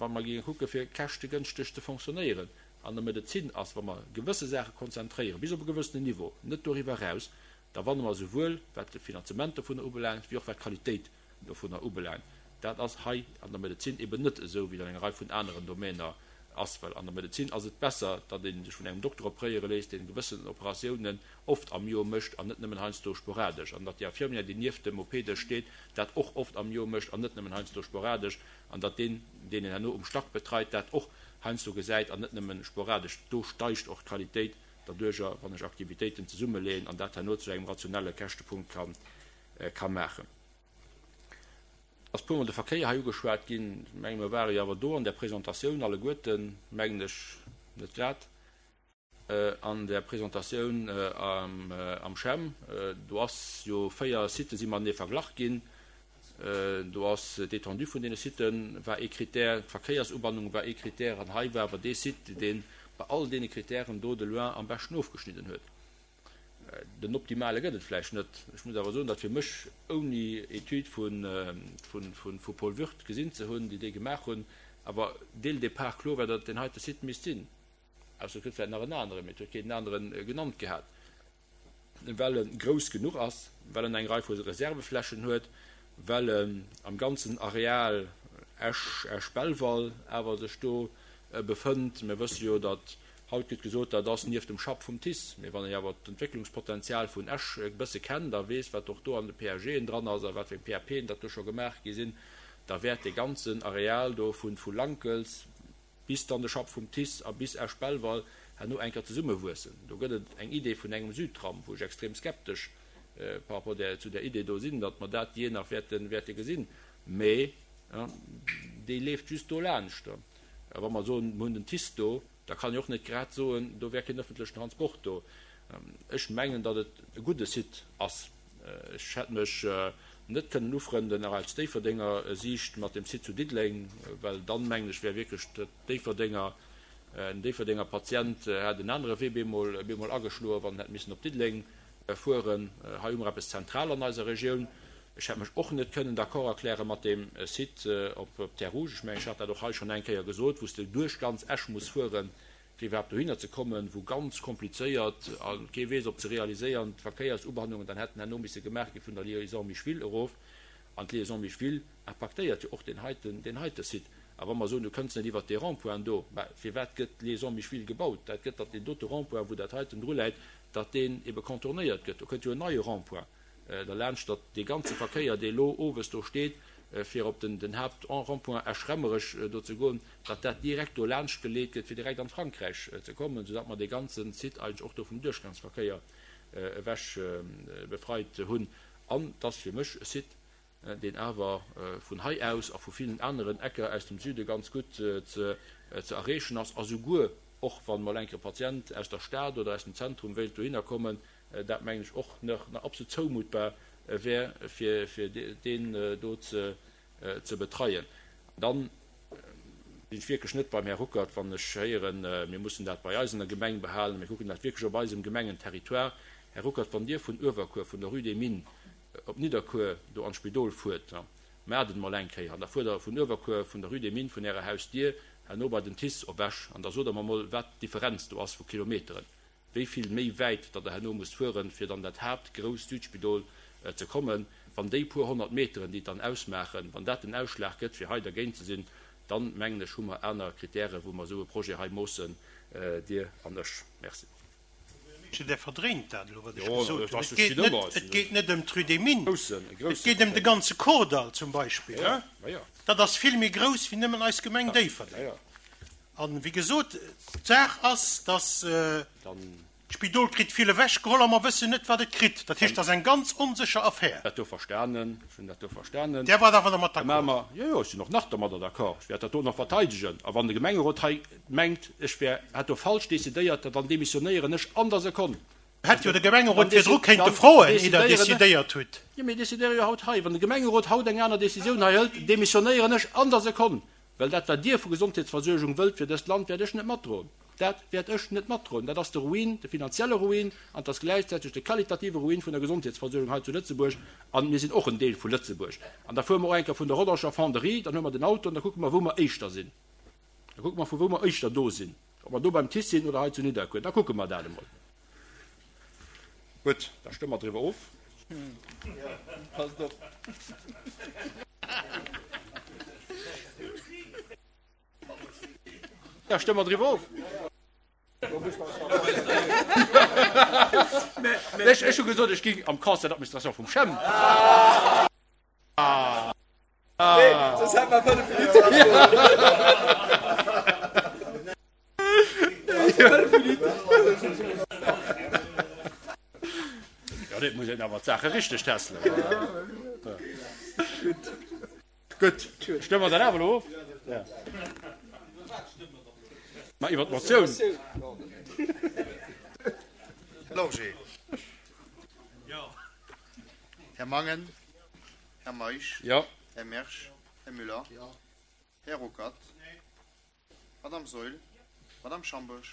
wa mer géinge kucke fir käschtegënschteg ze fonctionnéieren an der Medezin ass, wa mer gewësse Saache konzentréieren, bis op e gewëssenen Niveau, net doriwwer eraus, da wanne mer souwuel wat de Finanzement dovunner ubelaangt, wéi och wat d'Qualitéit dovunner ubelaangt. Dat ass hei an der Medezin eben net esou, wéi et an enger Rei vun aneren Domäner ass, well an der Medezin ass et besser, datt ee sech vun engem Dokter opréiere léisst, deen gewëssen Operatiounen oft am Joer mécht an net nëmmen heiansdo sporadesch, an datt déi Infirmière, déi nieft dem OP-Dësch steet, dat och oft am Joer mécht an net nëmmen heiansdo sporadesch, an datt deen, deen een herno um Stack betreit, dat och heiansdo gesäit an net nëmmen sporadesch. Do steigt och d'Qualitéit derduercher, wann ech Aktivitéiten zesummeleeën an dat herno zu engem rationelle Käschtepunkt ka maachen. Ass puermol de Verkéier hei ugeschwat ginn. Ech menge mer ware jo awer do an där Presentatioun alleguerten, mengen ech, net grad an där Presentatioun am CHEM. Do ass jo 4 Sitë si matenee verglach ginn. Do ass d'Étendue vun deene Sitë war ee Critère, d'Verkéiersubannung war ee Critère an hei war awer dee Site, dee bei all deene Critèren do de loin am beschten ofgeschnidden huet. Den optimale gëtt et vläicht net. Ech muss awer soen, datt fir mech, ouni Etüd vu Paul Würth gesinn ze hunn, déi déi gemaach hunn, awer dès le départ kloer war, datt et deen heite Site misst sinn. Ausser et gëtt vläicht nach en aneren, mee et huet keen en anere genannt gehat. Well e grouss genuch ass, well en eng Rei vu Reserveflächen huet, well en am ganzen Areal Esch, Esch-Belval awer sech do befënnt. Mir wësse jo, datt Haut gëtt gesot, dat ass nieft dem Schapp vum TICE. Mee wann ee awer d'Entwécklungspotenzial vun Esch e bësse kennt a weess, wat och do an de PAGen dran ass a wat fir eng PAPen dat do scho gemaach gi sinn. Da wäert dee ganzen Areal do vu vu Lankels bis dann de Schapp vum TICE a bis Esch-Belval herno eng Kéier zesummewuessen. Do gëtt et eng Idee vun engem Südtram, wou ech extrem skeptesch par rapport där, zu där Idee do sinn, datt mer dat jee nach wäerte, wäerte gesinn. Mä déi leeft just do laanscht. A wa mer soen, mer hunn den TICE do, da kann een och net grad soen, do wär keen öffentlechen Transport do. Ech mengen, datt et e gudde Site ass. Ech hätt mech net kënnen ufrënden, nach aus Déifferdenger Siicht, mat dem Site zu Diddeleng, well dann, mengen ech, wär wierklech d'Déifferdenger, en Déifferdenger Patient hätt en anere Wee bemol, bemol ageschloen, wann en hätt missen op Diddeleng fueren. Hei hu mer eppes zentral an eiser Regioun. Ech hätt mech och net kënnen d'accord erkläre mat deem Site op Terres Rouges. Ech mengen, ech hat dat och hei schonn eng Kéier gesot, wou s de duerch ganz Esch muss fueren, fir iwwerhaapt dohinner ze kommen, wou ganz komplizéiert a kee weess ob ze realiséiernd Verkéiersubannungen dann hätten herno misse gemaach gi vun der Liaison Micheville erof. An d'Liaison Micheville impaktéiert jo och deen heiten, deen heite Site. A wa mer soen, du kënns net iwwert dee Rond-point do, mä firwat gëtt d'Liaison Micheville gebaut? Dat gëtt, datt deen dote Rond-point, wou dat heiten dru läit, datt deen ebe contournéiert gëtt. Do kënnt jo en neie Rond-point derlaanscht, datt dee ganze Verkéier, dee elo owes do steet, fir op den Haupt-Rond-point Esch-Remmerech do ze goen, datt dat direkt do laanscht geleet gëtt, fir direkt an d'Frankräich ze kommen, soudatt mer dee ganze Site eigentlech och do vum Duerchgangsverkéier ewech befreit hunn. An et ass fir mech e Site, deen awer vun hei aus a vu villen aneren Ecker aus dem Süde ganz gutt ze erreechen ass, a souguer och wann mol enk e Patient aus der Stad oder aus dem Zentrum wéilt dohinner kommen, dat mengen ech och nach absolut zoumutbar wär, fir deen do ze betreien. Dann sinn ech wierklech net beim Här Ruckert, wann ech héieren, mir mussen dat bei eis an der Gemeng behalen, mir kucken dat wierklech op eisem Gemengenterritoire. Här Ruckert, wann Dir vun Uewerkuer, vun der Rue des Mines op Nidderkuer do an d'Spidol fuert, maacht et emol eng Kéier, an da fuert Der vun Uewerkuer, vun der Rue des Mines, vun Ärer Hausdier herno bei den TICE op Esch, an da sot Der mer emol, wat d'Differenz do ass vu Kilometeren. wéi vill méi wäit datt Der herno musst fueren, fir dann dat haaptgrousst Südspidol ze kommen, wann déi puer 100 Meteren, déi et dann ausmaachen, wann dat den Ausschlag gëtt, fir hei dergéint ze sinn, dann, mengen ech, hu mer aner Kritäre wou mer esou e Projet hei moossen, Dir an ech. Merci. Där verdréint dat elo, wat ech gesot hunn. Et geet net ëm d'Rue des Mines, et geet ëm de ganze Kordall zum Beispill. Dat ass vill méi grouss wéi nëmmen eis Gemeng Déifferdeng. An, wéi gesot, d'Saach ass, dass d'Spidol kritt vill ewechgeholl a mer wëssen net, wat et kritt. Dat heescht, dat ass eng ganz onsécher Affär. Dat do verstanen. Ech hunn dat do verstanen. Där waart awer dermat d'accord? Jo, jo, ech sinn och nach dermadder d'accord. Ech wäert dat do nach verteidegen. A wann de Gemengerot hei mengt, ech wär, hätt do falsch decidéiert, dann demissionéieren ech an der Sekonn. Hätt jo de Gemengerot virdru kéinte froen, ier Der decidéiert hutt. Jo, mir decidéiere jo haut hei. Wann de Gemengerot haut eng aner Decisioun hei hëlt, demissionéieren ech an der Sekonn. Well dat, wat Dir vu Gesondheetsversuergung wëllt fir dëst Land, wäert ech net matdroen. Dat wäert ech net matdroen. Dat ass de Ruin, de finanzielle Ruin, an et ass gläichzäiteg de qualitative Ruin vun der Gesondheetsversuergung hei zu Lëtzebuerg. A mir sinn och en Deel vu Lëtzebuerg. An da fuere mer och eng Kéier vun der Rodangener Fonderie, dann huele mer den Auto an da kucke mer, wou mer éischter sinn. Da kucke mer, vu wou mer éischter do sinn, ob mer do beim TICE sinn oder hei zu Nidderkuer. Da kucke mer dat emol. Gutt, da stëmme mer driwwer of. Passt op. Da stëmme mer driwwer of. Ech hu gesot, ech géing am Conseil d'administration vum CHEM. Soss hätt mer 5 Minutten. Jo, et muss een awer d'Saache richteg tässelen. Gutt, stëmme mer dat awer elo of? Ma iwwer d'Motioun. Här Lorgé. Här Mangen. Här Meisch. Här Mersch. Här Müller. Här Ruckert. Madame Saeul. Madame Schambourg.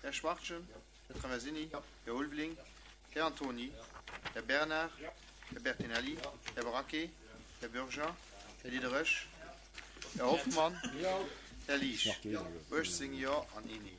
Här Schwachtgen. Här Traversini. Här Ulveling. Här Antony. Här Bernard. Här Bertinelli. Här Braquet. Här Bürger. Här Diderich. Här Hoffmann. Här Liesch. 18 Jo an een Neen.